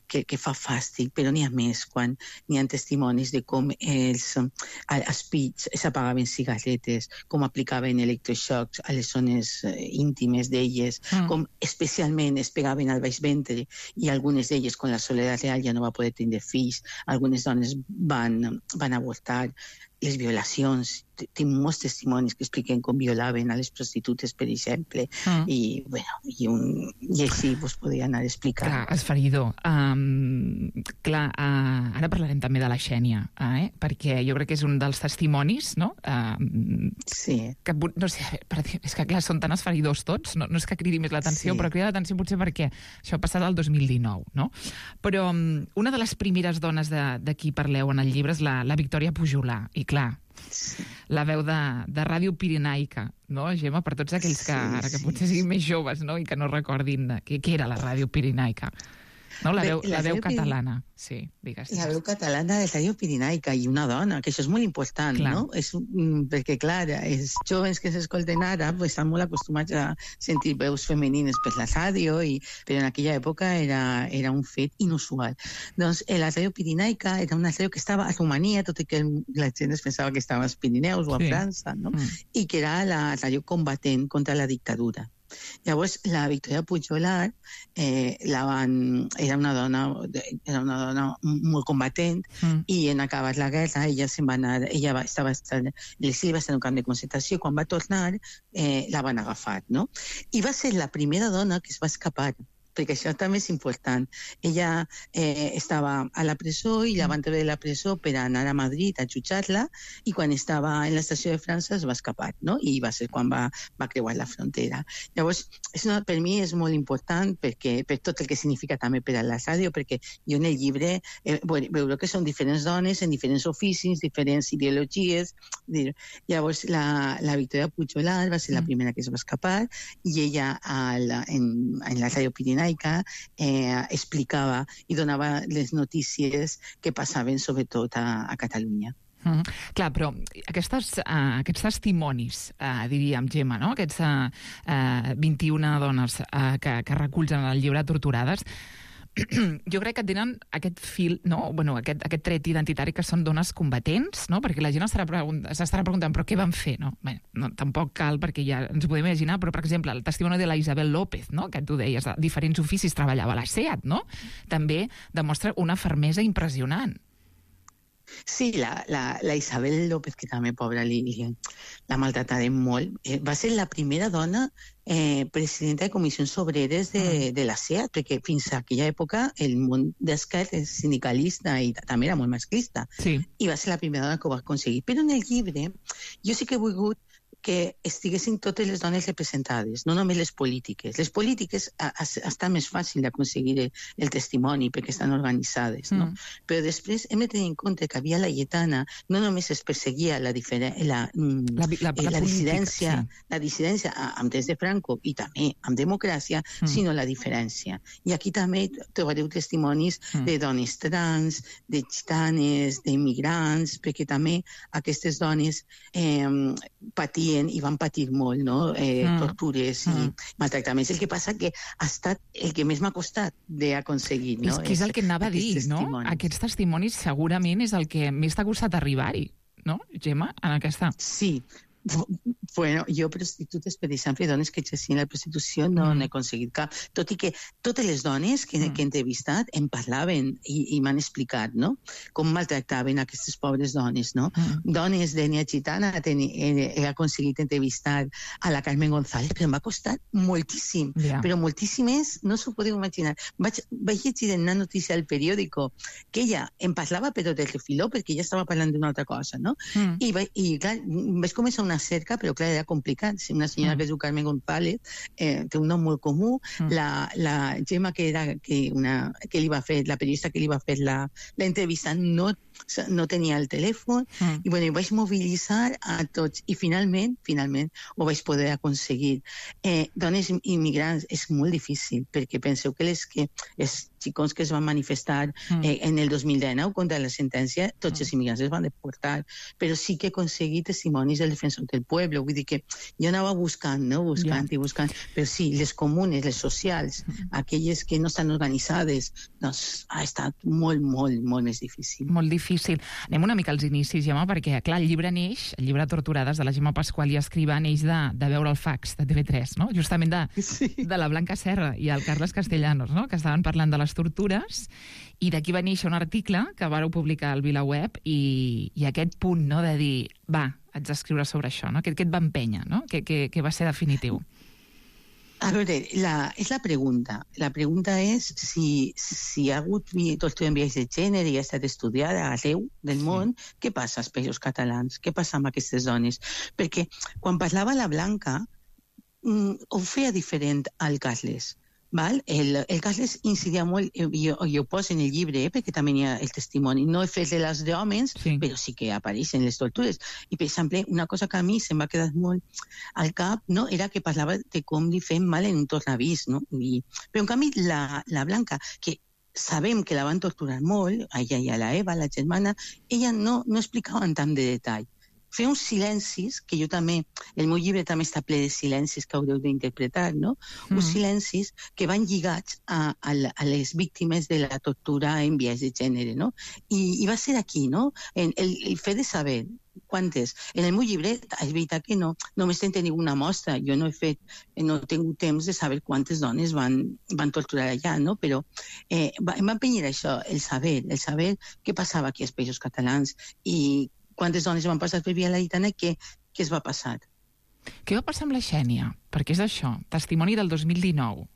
que fa fàstic, però n'hi ha més, quan n'hi ha testimonis de com als pits s'apagaven cigarretes, com aplicaven electroxocs a les zones íntimes d'elles, com especialment es pegaven al baix ventre, i algunes d'elles, quan la Soledad Real ja no va poder tenir fills, algunes dones van avortar, les violacions, tinc molts testimonis que expliquen com violaven a les prostitutes, per exemple, i així vos podria anar explicant. Clar, esferidor. Clar, ara parlarem també de la Xènia, perquè jo crec que és un dels testimonis, no? Sí. Que, no sé, és que clar, són tan esferidors tots, no és que cridi més l'atenció, però crida l'atenció potser perquè això ha passat el 2019, no? Però una de les primeres dones de qui parleu en el llibre és la Victòria Pujolà, i clar, la veu de Ràdio Pirenaica, no, Gemma? Per tots aquells que ara que potser siguin més joves, no?, i que no recordin què era la Ràdio Pirenaica. No, la veu catalana, sí, digues. La veu catalana de Ràdio Pirinaica i una dona, que això és molt important, no? Perquè, clar, els jovens que s'escolten ara estan molt acostumats a sentir veus femenines per la ràdio, però en aquella època era un fet inusual. Doncs la Ràdio Pirinaica era una ràdio que estava a Romania, tot i que la gent es pensava que estava als Pirineus o a França, no? I que era la ràdio combatent contra la dictadura. Llavors, la Victoria Puigdolar era una dona molt combatent i en acabar la guerra ella se'n va anar, l'exili va estar en un camp de concentració, quan va tornar la van agafar, no? I va ser la primera dona que es va escapar, perquè això també és important. Ella estava a la presó i la van treure de la presó per anar a Madrid a jutjar-la, i quan estava en l'estació de França es va escapar, no? I va ser quan va creuar la frontera. Llavors, per mi és molt important per tot el que significa també per a la ràdio, perquè jo en el llibre veuré que són diferents dones en diferents oficis, diferents ideologies. Llavors, la Victoria Puigdolar va ser la primera que es va escapar, i ella en la Ràdio Pirinaica explicava i donava les notícies que passaven sobretot a Catalunya. Clar, però aquests testimonis, diríem, Gemma, no? Aquests 21 dones que recullen el llibre Torturades, jo crec que tenen aquest fil, no? Bueno, aquest tret identitari que són dones combatents, no? Perquè la gent s'estarà preguntant però què van fer, no? Bé, no, tampoc cal, perquè ja ens ho podem imaginar, però, per exemple, el testimoni de la Isabel López, no? Que tu deies, a diferents oficis treballava a la SEAT, no? També demostra una fermesa impressionant. Sí, la Isabel López, que també, pobra, la maltratarem molt, va ser la primera dona presidenta de comissions obreres de la SEAT, perquè fins a aquella època el món d'esquerres sindicalista i també era molt masclista. I va ser la primera dona que ho va aconseguir. Però en el llibre jo sí que he volgut que estiguessin totes les dones representades, no només les polítiques. Les polítiques està més fàcil d'aconseguir el testimoni perquè estan organitzades, no? Però després hem de tenir en compte que havia la Lletana, no només es perseguia la dissidència amb temps de Franco i també amb democràcia, sinó la diferència. I aquí també trobareu testimonis de dones trans, de gitanes, d'immigrants, perquè també aquestes dones patien i van patir molt, no? Tortures i maltractaments. El que passa que ha estat el que més m'ha costat d'aconseguir, no? És el que anava a dir, no? Aquests testimonis segurament és el que més t'ha costat arribar-hi, no, Gemma, en aquesta? Sí. Bueno, jo prostitutes, per exemple, dones que exercien la prostitució no n'he aconseguit cap, tot i que totes les dones que he entrevistat em parlaven i m'han explicat, no?, com maltractaven aquestes pobres dones, no? Dones d'ètnia gitana he aconseguit entrevistar a la Carmen González, però em va costar moltíssim, però moltíssimes, no s'ho podeu imaginar. Vaig llegir en una notícia al periòdico que ella em parlava però del refiló, perquè ella estava parlant d'una altra cosa, no? I clar, vaig començar una cerca, però clar, era complicat. Una senyora que es diu Carmen González, té un nom molt comú. La Gemma, que li va fer, la periodista que li va fer l'entrevista, no tenia el telèfon, i bueno, vaig mobilitzar a tots, i finalment ho vaig poder aconseguir. Dones immigrants és molt difícil, perquè penseu que els xicons que es van manifestar en el 2019 contra la sentència, tots els immigrants es van deportar, però sí que he aconseguit testimonis del defensor del pueblo, vull dir que jo anava buscant, però sí, les comunes, les socials, aquelles que no estan organitzades, doncs ha estat molt, molt, molt més difícil. Molt difícil. Anem una mica als inicis, Gemma, perquè, clar, el llibre Torturades, de la Gemma Pasqual i Escrivà, neix de veure el fax de TV3, no? Justament de la Blanca Serra i el Carles Castellanos, no?, que estaven parlant de les tortures, i d'aquí va néixer un article que vareu publicar al VilaWeb, i aquest punt, no?, de dir, va, haig d'escriure sobre això, no?, que et va empènyer, no?, que va ser definitiu. A veure, és la pregunta. La pregunta és si hi ha hagut tortura en viatge de gènere i ha estat estudiada arreu del món, què passa als països catalans? Què passa amb aquestes dones? Perquè quan parlava la Blanca, ho feia diferent al Carles. El Carles incidia molt, jo ho poso en el llibre, perquè també hi ha el testimoni. No he fet de les d'homes, però sí que apareixen les tortures. I, per exemple, una cosa que a mi se'm va quedar molt al cap, no?, era que parlava de com li fem mal en un tornavís, no? Però, en canvi, la Blanca, que sabem que la van torturar molt, a ella i a la Eva, la germana, ella no explicava en tant de detall. Feia uns silencis, que jo també, el meu llibre també està ple de silencis que haureu d'interpretar, no? Uns silencis que van lligats a les víctimes de la tortura en biaix de gènere, no? I va ser aquí, no? El fet de saber quantes. En el meu llibre, és veritat que no només en teniu una mostra, jo no he tingut temps de saber quantes dones van torturar allà, no? Però em va empenyir això, el saber què passava aquí als Països Catalans i quantes dones van passar per Via Laietana i què es va passar. Què va passar amb la Xènia? Perquè és això, testimoni del 2019.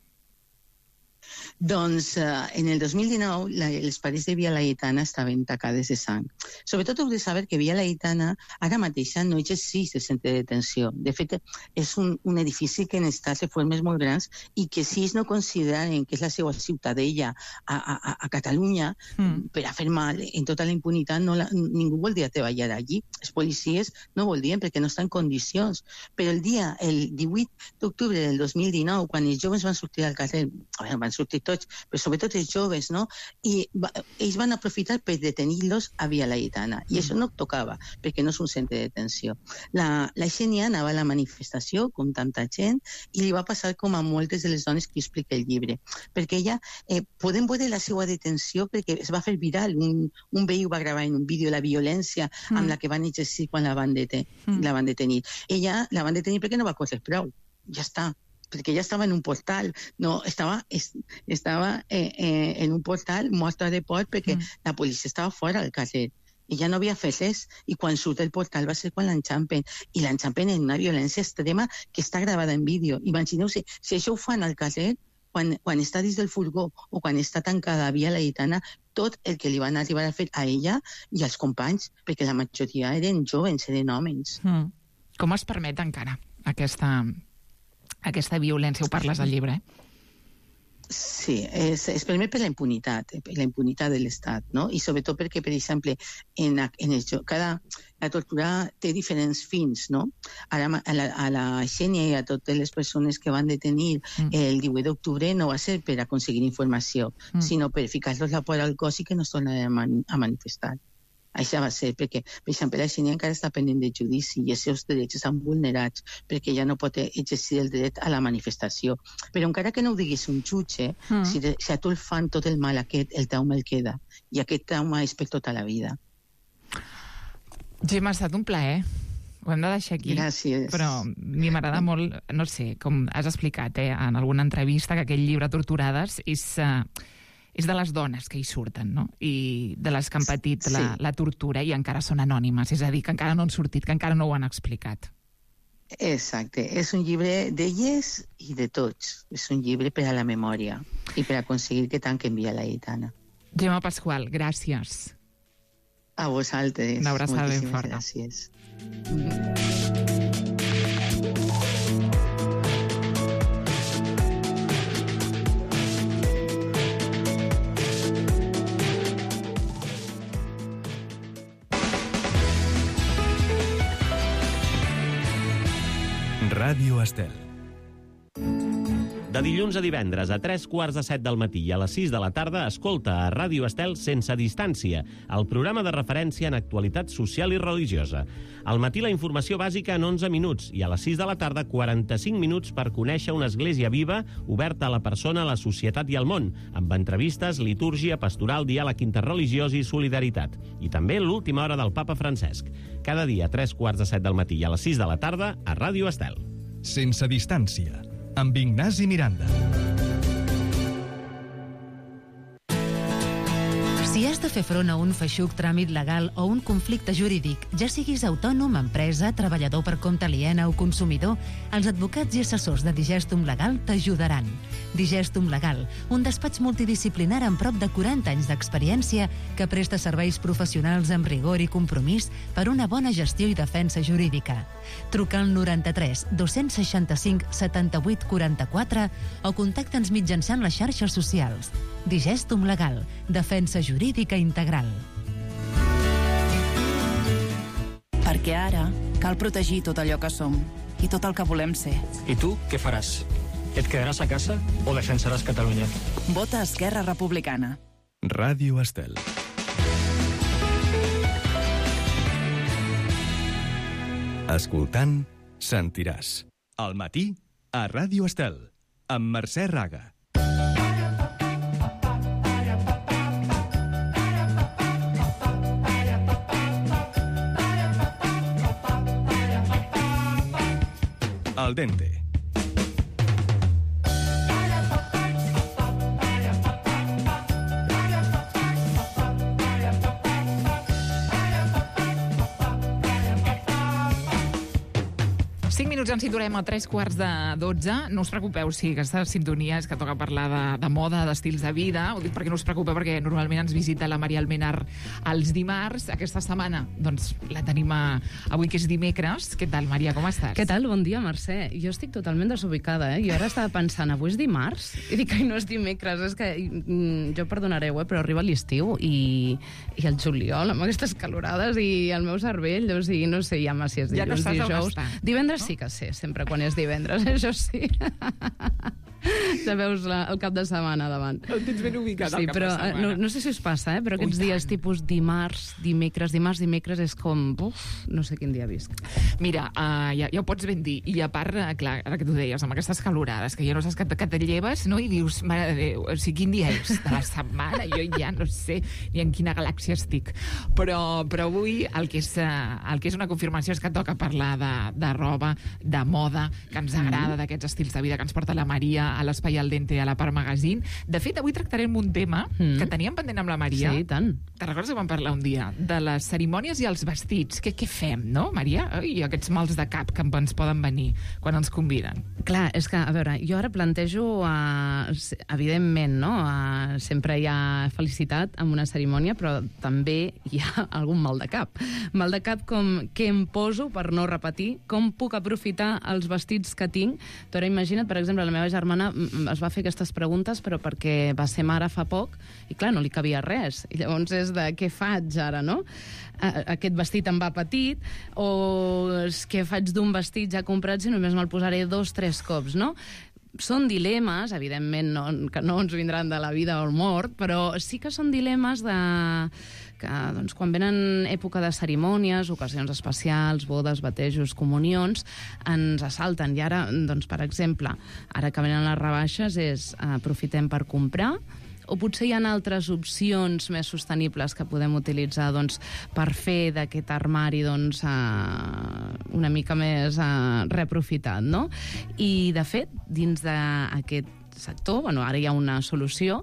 Doncs en el 2019 les parets de Via Laietana estaven tacades de sang. Sobretot heu de saber que Via Laietana ara mateixa no exerceix de centre de detenció. De fet, és un edifici que necessita reformes molt grans i que si ells no consideren que és la seva ciutadella a Catalunya per a fer mal en tota la impunitat, ningú voldria treballar allí. Els policies no voldrien perquè no estan en condicions. Però el 18 d'octubre del 2019, quan els joves van sortir al carrer, van sortir tots, però sobretot els joves, no? I ells van aprofitar per detenir-los a Via Laietana. I això no tocava, perquè no és un centre de detenció. La Xènia anava a la manifestació, com tanta gent, i li va passar com a moltes de les dones que explica el llibre. Perquè ella, podem veure la seva detenció perquè es va fer viral. Un veí va gravar en un vídeo la violència amb la que van exercir quan la van detenir. Ella la van detenir perquè no va córrer prou. Ja està. Perquè ella estava en un portal, no, estava en un portal mostra de por perquè la policia estava fora del carrer. Ella no havia fet res i quan surt del portal va ser quan l'enxampen. I l'enxampen en una violència extrema que està gravada en vídeo. Imagineu-se, si això ho fan al carrer, quan està dins del furgó o quan està tancada a Via Laietana, tot el que li van arribar a fer a ella i als companys, perquè la majoria eren joves, eren homes. Com es permet encara aquesta violència? Ho parles al llibre, Sí, es permet per la impunitat de l'Estat, no? I sobretot perquè, per exemple, la tortura té diferents fins, no? Ara, a la Xènia i a totes les persones que van detenir el 18 d'octubre no va ser per aconseguir informació, sinó per ficar-los la por al cos i que no es tornaran a manifestar. Això va ser perquè, per exemple, la Xènia encara està pendent de judici i els seus drets estan vulnerats perquè ja no pot exercir el dret a la manifestació. Però encara que no ho diguis un jutge, si a tu el fan tot el mal aquest, el trauma el queda. I aquest trauma és per tota la vida. Gemma, ha estat un plaer. Ho hem de deixar aquí. Gràcies. Però a mi m'agrada molt, no sé, com has explicat en alguna entrevista, que aquell llibre Torturades és de les dones que hi surten, no? I de les que han patit la tortura i encara són anònimes, és a dir, que encara no han sortit, que encara no ho han explicat. Exacte, és un llibre d'elles i de tots. És un llibre per a la memòria i per aconseguir que tanquen Via Laietana. Gemma Pasqual, gràcies. A vosaltres. Una abraçada ben forta. Gràcies. Ràdio Estel. De dilluns a divendres a 3:15 del matí i a les 6 de la tarda escolta a Ràdio Estel Sense Distància, el programa de referència en actualitat social i religiosa. Al matí la informació bàsica en 11 minuts i a les 6 de la tarda 45 minuts per conèixer una església viva oberta a la persona, a la societat i al món, amb entrevistes, litúrgia, pastoral, diàleg interreligiós i solidaritat. I també l'última hora del Papa Francesc. Cada dia a 3:15 del matí i a les 6 de la tarda a Ràdio Estel. Sense Distància, amb Ignasi Miranda. Si has de fer front a un feixuc tràmit legal o un conflicte jurídic, ja siguis autònom, empresa, treballador per compte aliena o consumidor, els advocats i assessors de Digestum Legal t'ajudaran. Digestum Legal, un despatx multidisciplinar amb prop de 40 anys d'experiència que presta serveis professionals amb rigor i compromís per una bona gestió i defensa jurídica. Truca al 93 265 78 44 o contacta'ns mitjançant les xarxes socials. Digestum Legal, defensa jurídica integral. Perquè ara cal protegir tot allò que som i tot el que volem ser. I tu què faràs? ¿Et quedaràs a casa o defensaràs Catalunya? Vota Esquerra Republicana. Ràdio Estel. Escoltant, sentiràs. Al matí, a Ràdio Estel, amb Mercè Raga. Al dente. Minuts ens situarem a 3:45. No us preocupeu, si aquesta sintonia és que toca parlar de moda, d'estils de vida. Ho dic perquè no us preocupeu, perquè normalment ens visita la Maria Almenar els dimarts. Aquesta setmana, doncs, la tenim avui, que és dimecres. Què tal, Maria, com estàs? Què tal? Bon dia, Mercè. Jo estic totalment desubicada, Jo ara estava pensant, avui és dimarts? I dic, no és dimecres, és que jo perdonareu, però arriba l'estiu i el juliol, amb aquestes calorades i el meu cervell, o sigui, no sé ja si és dilluns, dijous. Divendres sí que sé, sempre quan és divendres, això sí. Ja veus el cap de setmana davant. El tens ben ubicat, sí, el cap però, de setmana. no sé si us passa, però aquests dies tipus dimarts, dimecres, és com... no sé quin dia visc. Mira, ja ho pots ben dir. I a part, clar, ara que tu deies, amb aquestes calorades, que ja no saps que te lleves, no? I dius, mare de Déu, o sigui, quin dia és de la setmana? Jo ja no sé ni en quina galàxia estic. Però avui el que és una confirmació és que toca parlar de roba, de moda, que ens agrada, d'aquests estils de vida que ens porta la Maria a l'Espai al Dente, a la Part Magazine. De fet, avui tractarem un tema que teníem pendent amb la Maria. Sí, tant. Te recordes que vam parlar un dia? De les cerimònies i els vestits. Què fem, no, Maria? I aquests mals de cap que ens poden venir quan ens conviden. Clar, és que, a veure, jo ara plantejo, evidentment, no? Sempre hi ha felicitat amb una cerimònia, però també hi ha algun mal de cap. Mal de cap com què em poso per no repetir, com puc aprofitar els vestits que tinc. Tu ara imagina't, per exemple, la meva germana es va fer aquestes preguntes, però perquè va ser mare fa poc, i clar, no li cabia res. I llavors és de què faig ara, no? Aquest vestit em va petit, o què faig d'un vestit ja comprat si només me'l posaré 2-3 cops, no? Són dilemes, evidentment, que no ens vindran de la vida o el mort, però sí que són dilemes que doncs, quan venen època de cerimònies, ocasions especials, bodes, batejos, comunions, ens assalten. I ara, doncs, per exemple, ara que venen les rebaixes, aprofitem per comprar, o potser hi ha altres opcions més sostenibles que podem utilitzar doncs, per fer d'aquest armari doncs, una mica més reaprofitat, no? I, de fet, dins d'aquest sector, ara hi ha una solució,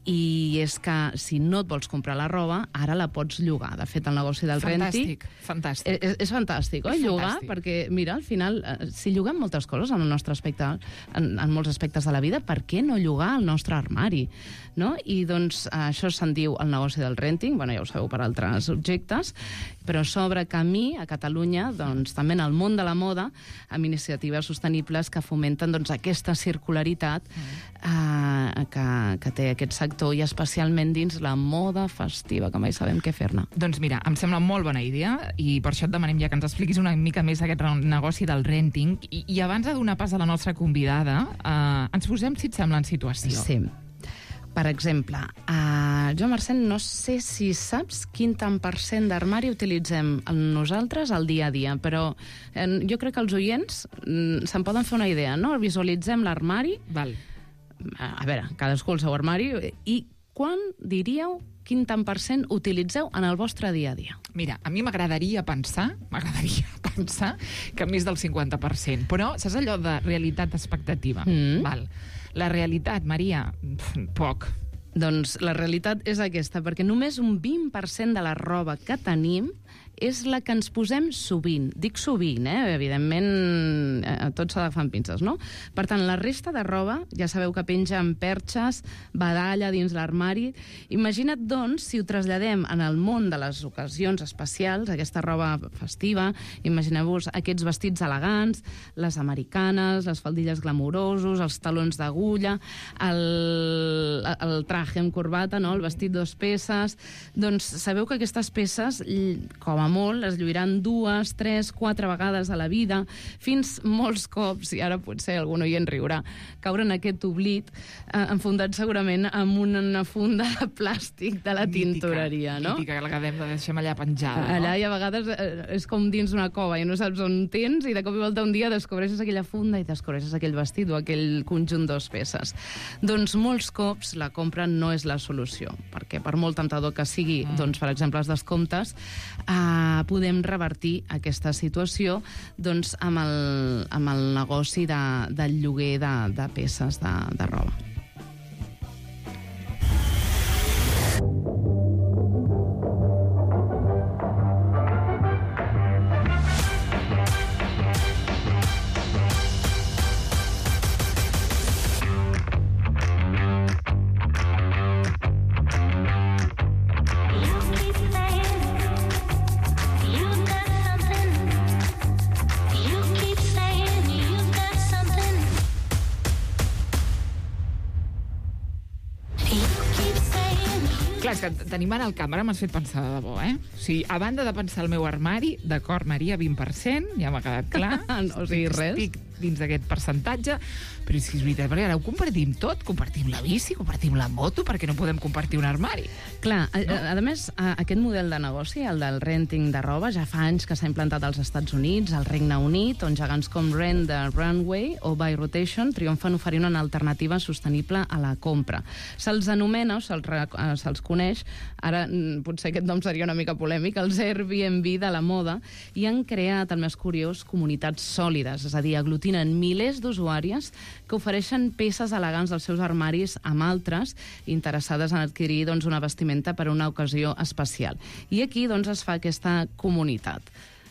i és que si no et vols comprar la roba, ara la pots llogar. De fet, el negoci del renting... Fantàstic. És fantàstic, oi? Llogar, perquè, mira, al final, si lloguem moltes coses en el nostre aspecte, en molts aspectes de la vida, per què no llogar el nostre armari? No? I, doncs, això se'n diu el negoci del renting, ja ho sabeu per altres objectes, però s'obre camí a Catalunya, doncs, també en el món de la moda, amb iniciatives sostenibles que fomenten doncs, aquesta circularitat que té aquest sector, i especialment dins la moda festiva, que mai sabem què fer-ne. Doncs mira, em sembla molt bona idea, i per això et demanem ja que ens expliquis una mica més aquest negoci del renting, i abans de donar pas a la nostra convidada, ens posem, si et sembla, en situació. Sí. Per exemple, jo, Mercè, no sé si saps quin tant % d'armari utilitzem nosaltres al dia a dia, però jo crec que els oients se'n poden fer una idea, no? Visualitzem l'armari. Val. A veure, cadascú el seu armari. I quan diríeu quin tant % utilitzeu en el vostre dia a dia? Mira, a mi m'agradaria pensar que més del 50%, però saps allò de realitat-expectativa? Val. La realitat, Maria, poc. Doncs la realitat és aquesta, perquè només un 20% de la roba que tenim és la que ens posem sovint. Dic sovint, evidentment, tot s'ha d'agafar amb pinces, no? Per tant, la resta de roba, ja sabeu que penja amb perxes, badalla dins l'armari. Imagina't, doncs, si ho traslladem en el món de les ocasions especials, aquesta roba festiva, imagineu-vos aquests vestits elegants, les americanes, les faldilles glamurosos, els talons d'agulla, el traje amb corbata, no? El vestit 2 peces. Doncs sabeu que aquestes peces, com a a molt, es lluiran 2, 3, 4 vegades a la vida, fins molts cops, i ara potser algun oient riurà, caure en aquest oblit, enfundat segurament amb una funda de plàstic de la tintoreria, no? Mítica, que la deixem allà penjada, no? Allà, i a vegades és com dins una cova i no saps on tens, i de cop i volta un dia descobreixes aquella funda i descobreixes aquell vestit o aquell conjunt de peces. Doncs molts cops la compra no és la solució, perquè per molt temptador que sigui, doncs, per exemple, els descomptes, podem revertir aquesta situació doncs, amb el negoci del lloguer de peces de roba. Clar, és que tenim ara el càmera, m'has fet pensar de debò, eh? O sigui, a banda de pensar el meu armari, d'acord, Maria, 20%, ja m'ha quedat clar. No, o sigui, res. Estic dins d'aquest percentatge, però és que és veritat, perquè ara ho compartim tot, compartim la bici, compartim la moto, perquè no podem compartir un armari. Clar, no? A més, aquest model de negoci, el del renting de roba, ja fa anys que s'ha implantat als Estats Units, al Regne Unit, on gegants com Rent the Runway o Buy Rotation triomfen oferint una alternativa sostenible a la compra. Se'ls anomena, o se'ls coneix, ara potser aquest nom seria una mica polèmic, els Airbnb de la moda, i han creat, el més curiós, comunitats sòlides, és a dir, aglutinen milers d'usuàries que ofereixen peces elegants dels seus armaris amb altres interessades en adquirir doncs, una vestimenta per a una ocasió especial. I aquí doncs, es fa aquesta comunitat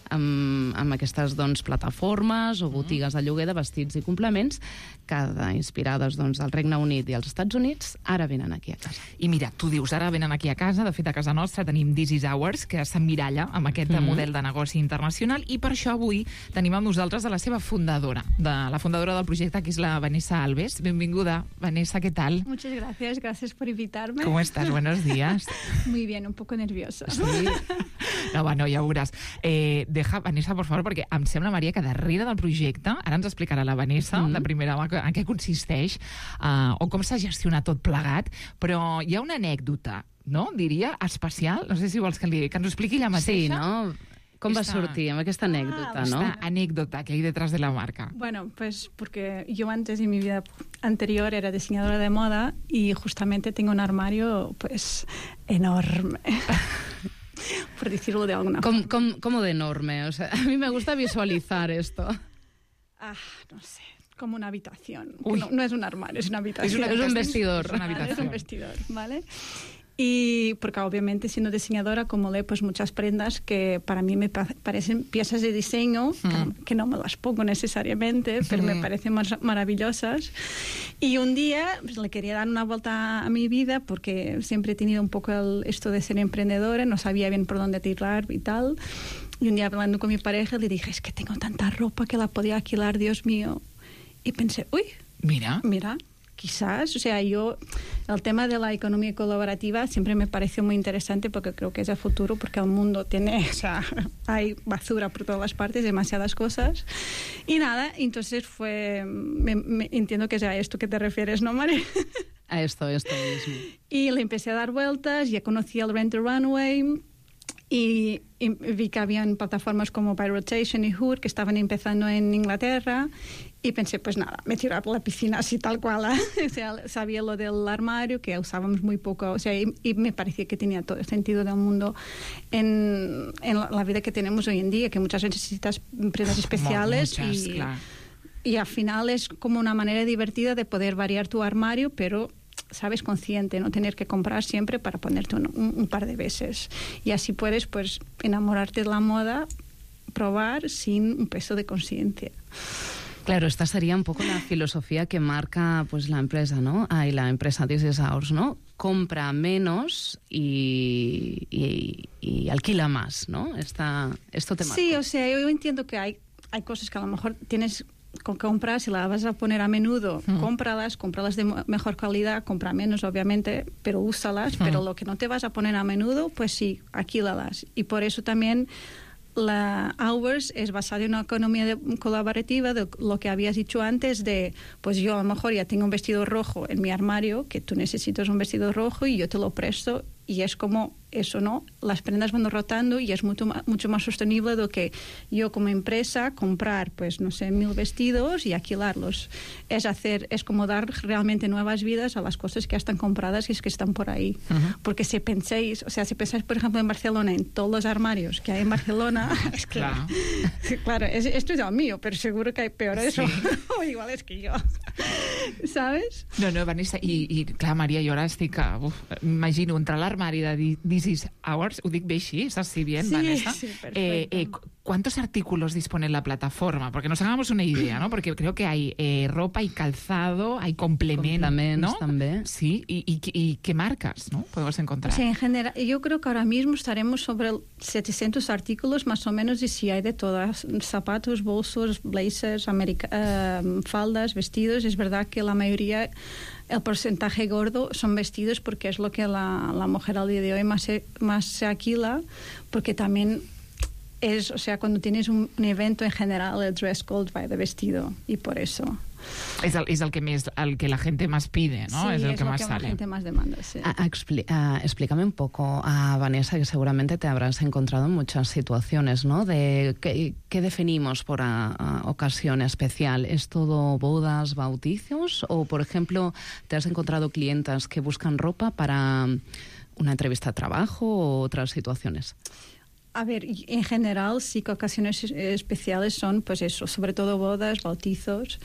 amb aquestes doncs, plataformes o botigues de lloguer de vestits i complements que, inspirades doncs, al Regne Unit i als Estats Units, ara venen aquí a casa. I mira, tu dius, ara venen aquí a casa, de fet a casa nostra tenim This is Ours, que s'emmiralla amb aquest model de negoci internacional, i per això avui tenim amb nosaltres a la seva fundadora, la fundadora del projecte, que és la Vanessa Alves. Benvinguda, Vanessa, ¿qué tal? Muchas gracias por invitarme. ¿Cómo estás? Buenos días. Muy bien, un poco nerviosa. Sí? No, bueno, ja ho veuràs. Deja, Vanessa, por favor, perquè em sembla, Maria, que darrere del projecte, ara ens explicarà la Vanessa, de primera mà, en què consisteix, o com s'ha gestionat tot plegat, però hi ha una anècdota, no? Diria, especial, no sé si vols que ens ho expliqui ella mateixa. Sí, no? Com va sortir amb aquesta anécdota, ¿no? Esta anécdota que hay detrás de la marca. Bueno, pues porque yo antes en mi vida anterior era diseñadora de moda y justamente tengo un armario pues enorme. Por decirlo de alguna forma. ¿Cómo de enorme? O sea, a mí me gusta visualizar esto. No sé, como una habitación. No es un armario, es una habitación. Es un vestidor. Es una habitación. Es un vestidor, ¿vale? Y porque obviamente siendo diseñadora acumulé pues muchas prendas que para mí me parecen piezas de diseño, que no me las pongo necesariamente, pero me parecen maravillosas. Y un día pues, le quería dar una vuelta a mi vida porque siempre he tenido un poco esto de ser emprendedora, no sabía bien por dónde tirar y tal. Y un día hablando con mi pareja le dije, es que tengo tanta ropa que la podía alquilar, Dios mío. Y pensé, uy, mira, quizás, o sea, el tema de la economía colaborativa siempre me pareció muy interesante porque creo que es el futuro, porque el mundo hay basura por todas las partes, demasiadas cosas. Y nada, entonces entiendo que es a esto que te refieres, ¿no, María? A esto mismo. Y le empecé a dar vueltas, ya conocí el Rent the Runway, y vi que habían plataformas como Buy Rotation y Hood que estaban empezando en Inglaterra y pensé, pues nada, me tiré a la piscina así tal cual. O sea, sabía lo del armario, que usábamos muy poco, o sea, y me parecía que tenía todo el sentido del mundo en la vida que tenemos hoy en día, que muchas veces necesitas prendas especiales y al final es como una manera divertida de poder variar tu armario, pero sabes, consciente, no tener que comprar siempre para ponerte un par de veces. Y así puedes, pues, enamorarte de la moda, probar sin un peso de conciencia. Claro, esta sería un poco la filosofía que marca pues la empresa, ¿no? Y la empresa This is Ours, ¿no? Compra menos y alquila más, ¿no? Esto te marca. Sí, o sea, yo entiendo que hay cosas que a lo mejor tienes comprar, si la vas a poner a menudo, cómpralas de mejor calidad, compra menos obviamente, pero úsalas, pero lo que no te vas a poner a menudo, pues sí, alquílalas. Y por eso también la Hours es basada en una economía colaborativa, de lo que habías dicho antes, de, pues yo a lo mejor ya tengo un vestido rojo en mi armario, que tú necesitas un vestido rojo y yo te lo presto, y es como eso, ¿no? Las prendas van rotando y es mucho más sostenible de que yo como empresa comprar, pues no sé, 1000 vestidos y alquilarlos. Es como dar realmente nuevas vidas a las cosas que ya están compradas y es que están por ahí. Porque si pensáis, por ejemplo, en Barcelona, en todos los armarios que hay en Barcelona, es que, claro, esto es lo mío, pero seguro que hay peores o iguales que yo. ¿Sabes? No, Vanessa, i clar, Maria, jo ara estic... M'imagino entrar a l'armari de This is Ours, ho dic bé així, ¿estás así bien, sí, Vanessa? Sí, perfecto. ¿Cuántos artículos dispone en la plataforma? Porque nos hagamos una idea, ¿no? Porque creo que hay ropa y calzado, hay complementos, ¿no? También. Sí, y ¿qué marcas, no? Podemos encontrar. Sí, en general, yo creo que ahora mismo estaremos sobre 700 artículos más o menos, y sí hay de todas, zapatos, bolsos, blazers, faldas, vestidos. Es verdad que la mayoría, el porcentaje gordo son vestidos, porque es lo que la mujer al día de hoy más se alquila, porque también es, o sea, cuando tienes un evento en general, el dress code va de vestido, y por eso. Es el que la gente más pide, ¿no? Sí, es el que más sale. La gente más demanda, sí. Explícame un poco, Vanessa, que seguramente te habrás encontrado en muchas situaciones, ¿no? De ¿qué definimos por ocasión especial? ¿Es todo bodas, bautizos? O, por ejemplo, ¿te has encontrado clientas que buscan ropa para una entrevista de trabajo o otras situaciones? A ver, en general sí que ocasiones especiales son, pues eso, sobre todo bodas, bautizos,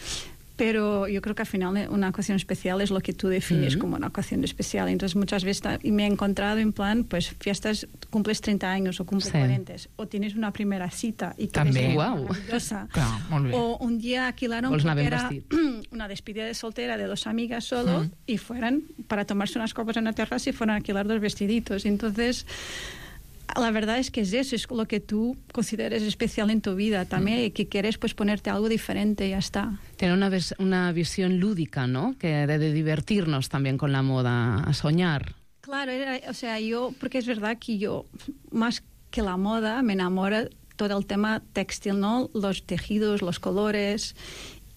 pero yo creo que al final una ocasión especial es lo que tú defines como una ocasión especial. Entonces muchas veces me he encontrado en plan, pues fiestas, cumples 30 años o cumples 40, o tienes una primera cita y que es maravillosa, o un día alquilaron porque era una despedida de soltera de 2 amigas solo y fueran para tomarse unas copas en la terraza y fueran a alquilar 2 vestiditos. Entonces la verdad es que es eso, es lo que tú consideres especial en tu vida también, y que quieres pues ponerte algo diferente y ya está. Tiene una visión lúdica, ¿no? Que de divertirnos también con la moda, a soñar. Claro, o sea, porque es verdad que yo, más que la moda, me enamora todo el tema textil, ¿no? Los tejidos, los colores,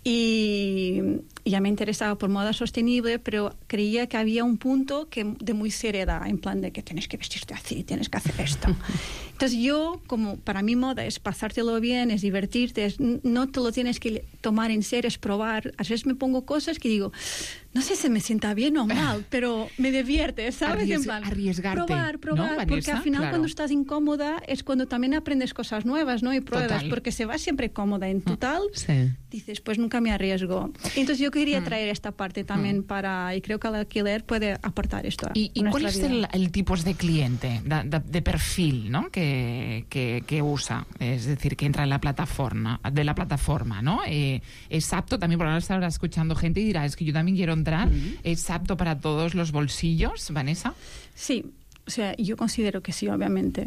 y ya me interesaba por moda sostenible, pero creía que había un punto de muy seriedad, en plan de que tienes que vestirte así, tienes que hacer esto. Entonces yo, como para mí moda es pasártelo bien, es divertirte, no te lo tienes que tomar en serio, es probar. A veces me pongo cosas que digo, no sé si me sienta bien o mal, pero me divierte, ¿sabes? En plan, arriesgarte, probar, ¿no, porque al final claro, cuando estás incómoda es cuando también aprendes cosas nuevas, ¿no? Y pruebas, porque se va siempre cómoda en total, dices, pues nunca me arriesgo. Entonces yo quería traer esta parte también y creo que el alquiler puede aportar esto. ¿Y cuál es el tipo de cliente, de perfil, ¿no? que usa? Es decir, que entra en la plataforma, ¿no? Es apto también, porque ahora estará escuchando gente y dirá, es que yo también quiero entrar. ¿Es apto para todos los bolsillos, Vanessa? Sí, o sea, yo considero que sí, obviamente.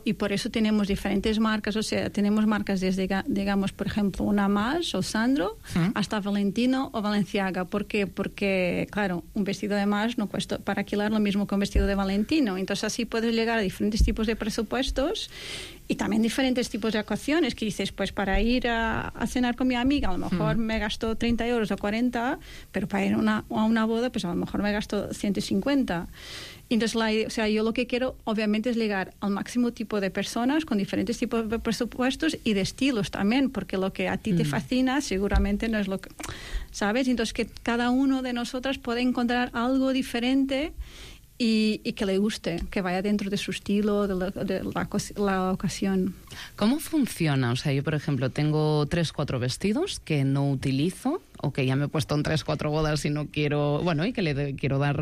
Y por eso tenemos diferentes marcas, o sea, tenemos marcas desde, digamos, por ejemplo, una Maje o Sandro, hasta Valentino o Balenciaga. ¿Por qué? Porque, claro, un vestido de Maje no cuesta para alquilar lo mismo que un vestido de Valentino. Entonces así puedes llegar a diferentes tipos de presupuestos y también diferentes tipos de ocasiones, que dices, pues para ir a cenar con mi amiga, a lo mejor me gasto 30 euros o 40, pero para ir a una boda, pues a lo mejor me gasto 150. Entonces, o sea, yo lo que quiero, obviamente, es llegar al máximo tipo de personas con diferentes tipos de presupuestos y de estilos también, porque lo que a ti te fascina seguramente no es lo que... ¿Sabes? Entonces, que cada uno de nosotras puede encontrar algo diferente y que le guste, que vaya dentro de su estilo, de la ocasión. ¿Cómo funciona? O sea, yo, por ejemplo, tengo 3-4 vestidos que no utilizo, o que ya me he puesto en 3-4 bodas y no quiero, bueno, y que le quiero dar,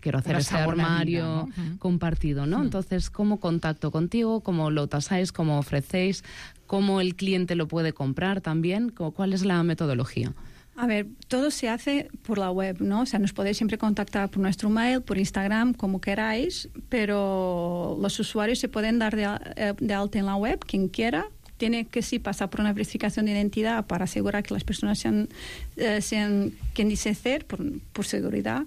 quiero hacer ese armario compartido, ¿no? Entonces, ¿cómo contacto contigo? ¿Cómo lo tasáis? ¿Cómo ofrecéis? ¿Cómo el cliente lo puede comprar también? ¿Cuál es la metodología? A ver, todo se hace por la web, ¿no? O sea, nos podéis siempre contactar por nuestro mail, por Instagram, como queráis, pero los usuarios se pueden dar de alta en la web, quien quiera, tiene que sí pasar por una verificación de identidad para asegurar que las personas sean quien dice ser, por seguridad.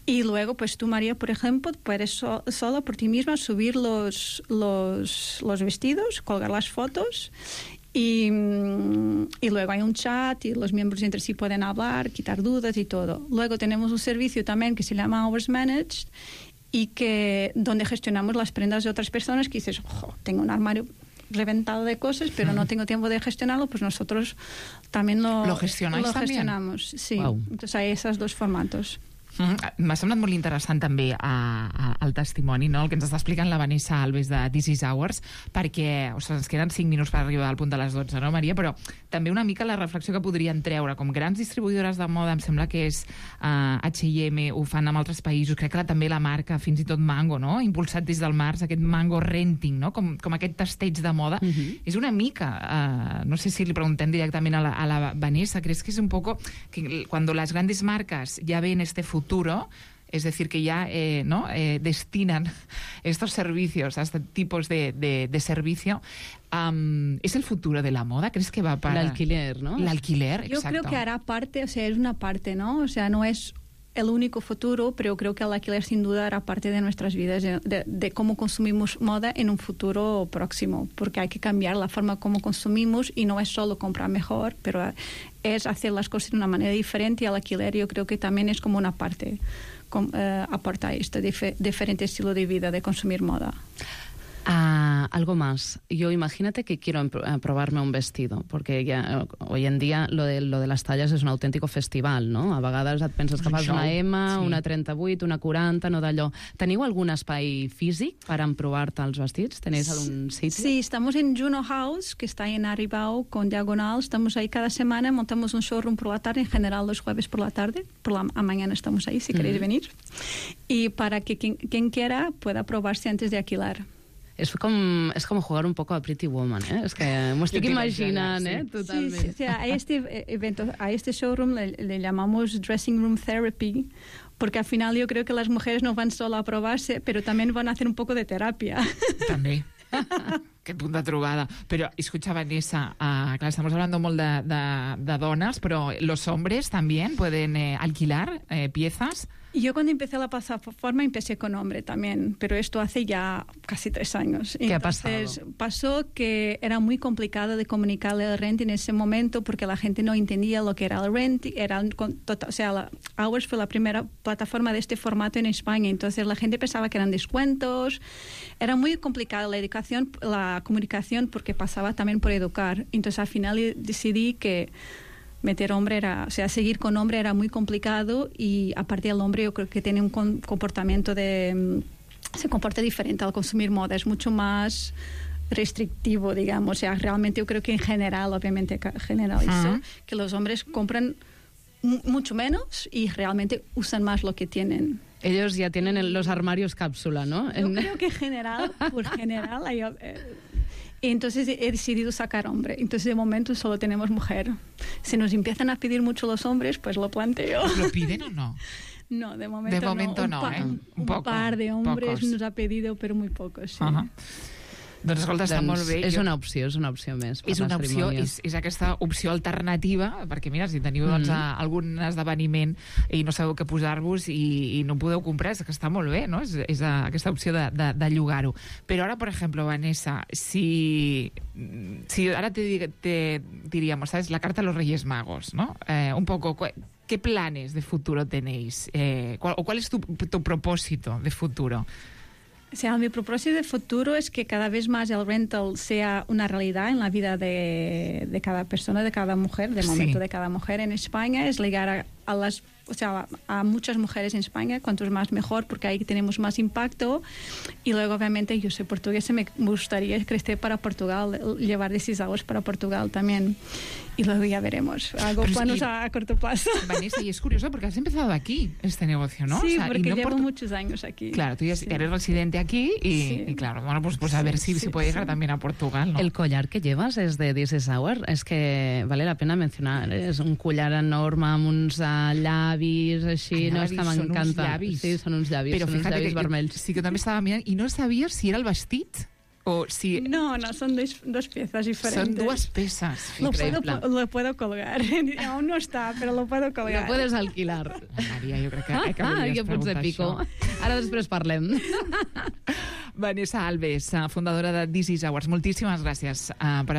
Y luego, pues tú, María, por ejemplo, puedes solo por ti misma subir los vestidos, colgar las fotos y luego hay un chat y los miembros entre sí pueden hablar, quitar dudas y todo. Luego tenemos un servicio también que se llama Hours Managed y donde gestionamos las prendas de otras personas que dices, tengo un armario reventado de cosas, pero no tengo tiempo de gestionarlo, pues nosotros también lo gestionamos. Sí. Wow. Entonces hay esos dos formatos. M'ha semblat molt interessant també el testimoni, no? El que ens està explicant la Vanessa Alves de This is Ours, perquè ens queden 5 minuts per arribar al punt de les 12, no, Maria? Però també una mica la reflexió que podrien treure. Com grans distribuïdores de moda, em sembla que és H&M, ho fan en altres països, crec que també la marca, fins i tot Mango, no? Impulsat des del març, aquest Mango Renting, no? Com aquest testeig de moda. És una mica, no sé si li preguntem directament a la Vanessa, ¿crees que es un poco que cuando las grandes marcas ya ven este futuro, es decir, que ya destinan estos servicios a este tipos de servicio, ¿es el futuro de la moda? ¿Crees que va para...? El alquiler, ¿no? El alquiler, exacto. Yo creo que hará parte, o sea, es una parte, ¿no? O sea, no es el único futuro, pero creo que el alquiler sin duda hará parte de nuestras vidas, de cómo consumimos moda en un futuro próximo, porque hay que cambiar la forma como consumimos y no es solo comprar mejor, pero es hacer las cosas de una manera diferente y el alquiler yo creo que también es como una parte, aporta este diferente estilo de vida de consumir moda. Algo más. Yo imagínate que quiero probarme un vestido, porque ya, hoy en día lo de las talles és un autèntic festival, no? A vegades et penses que fas una M, una 38, una 40, no d'allò. Teniu algun espai físic per emprovar-te els vestits? ¿Tenéis algún sitio? Sí, estamos en Juno House, que está en Aribau, con Diagonal. Estamos ahí cada semana, montamos un showroom por la tarde, en general los jueves por la tarde. A mañana estamos ahí, si queréis venir. Y para que quien quiera pueda probarse antes de alquilar. És com jugar un poco a Pretty Woman, ¿eh? Es que m'ho estic imaginant, ¿eh? Totalment. Sí, o sea, a este evento, a este showroom le llamamos Dressing Room Therapy, porque al final yo creo que las mujeres no van solo a probarse, pero también van a hacer un poco de terapia. També. Qué punta trobada. Pero, escucha, Vanessa, claro, estamos hablando molt de dones, pero ¿los hombres también pueden alquilar piezas? Yo cuando empecé la plataforma empecé con hombre también, pero esto hace ya casi 3 años. ¿Qué ha pasado? Pasó que era muy complicado de comunicarle el renting en ese momento porque la gente no entendía lo que era el renting. Hours fue la primera plataforma de este formato en España, entonces la gente pensaba que eran descuentos. Era muy complicada la comunicación porque pasaba también por educar. Entonces al final decidí que meter hombre seguir con hombre era muy complicado y aparte el hombre yo creo que tiene un comportamiento se comporta diferente al consumir moda, es mucho más restrictivo, digamos. O sea, realmente yo creo que en general, obviamente generalizo, que los hombres compran mucho menos y realmente usan más lo que tienen. Ellos ya tienen los armarios cápsula, ¿no? Yo creo que por general hay... Entonces he decidido sacar hombre. Entonces de momento solo tenemos mujer. Si nos empiezan a pedir mucho los hombres, pues lo planteo. ¿Lo piden o no? No, de momento no. Un par de hombres nos ha pedido, pero muy pocos, sí. Doncs escolta, està molt bé. És una opció més. És una opció, és aquesta opció alternativa, perquè mira, si teniu algun esdeveniment i no sabeu què posar-vos i no podeu comprar, és que està molt bé, no? És aquesta opció de llogar-ho. Però ara, per exemple, Vanessa, si ara te diríamos, ¿sabes? La carta a los Reyes Magos, ¿no? Un poco, ¿qué planes de futuro tenéis? ¿Cuál es tu propósito de futuro? O sea, mi propósito de futuro es que cada vez más el rental sea una realidad en la vida de cada persona, de cada mujer, de momento de cada mujer en España, es llegar a muchas mujeres en España, cuantos más mejor, porque ahí tenemos más impacto. Y luego, obviamente, yo soy portuguesa, me gustaría crecer para Portugal, llevar This is Ours para Portugal también. Y luego ya veremos. Algo planos a corto plazo. Vanessa, y es curioso porque has empezado aquí este negocio, ¿no? Sí, o sea, porque llevo muchos años aquí. Claro, tú ya eres residente aquí y claro, bueno, pues a ver si se puede llegar también a Portugal, ¿no? El collar que llevas es de This is Ours, es que vale la pena mencionar, és un collar enorme amb uns llavis així, no? És que m'encanta. Sí, són uns llavis, però són uns llavis vermells. Sí que també estava mirant i no sabia si era el vestit. O si... No, son dos piezas diferentes. Son dues peces. Lo puedo colgar. Aún no está, pero lo puedo colgar. Lo puedes alquilar. Maria, jo crec que volies preguntar pico. això. Ara després parlem. Vanessa Alves, fundadora de This Is Ours. Muchísimas gracias por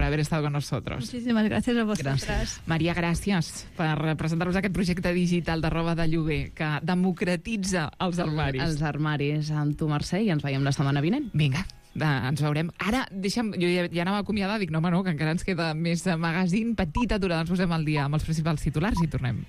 haber estado con nosotros. Muchísimas gracias a vosotras. Gràcies. Maria, gràcies per presentar-nos aquest projecte digital de roba de lloguer que democratitza els armaris. Els armaris amb tu, Mercè, i ens veiem la setmana vinent. Vinga. Ens veurem. Ara, deixa'm, jo ja anava a acomiadar, dic, no, que encara ens queda més magazine, petita aturada, ens posem al dia amb els principals titulars i tornem.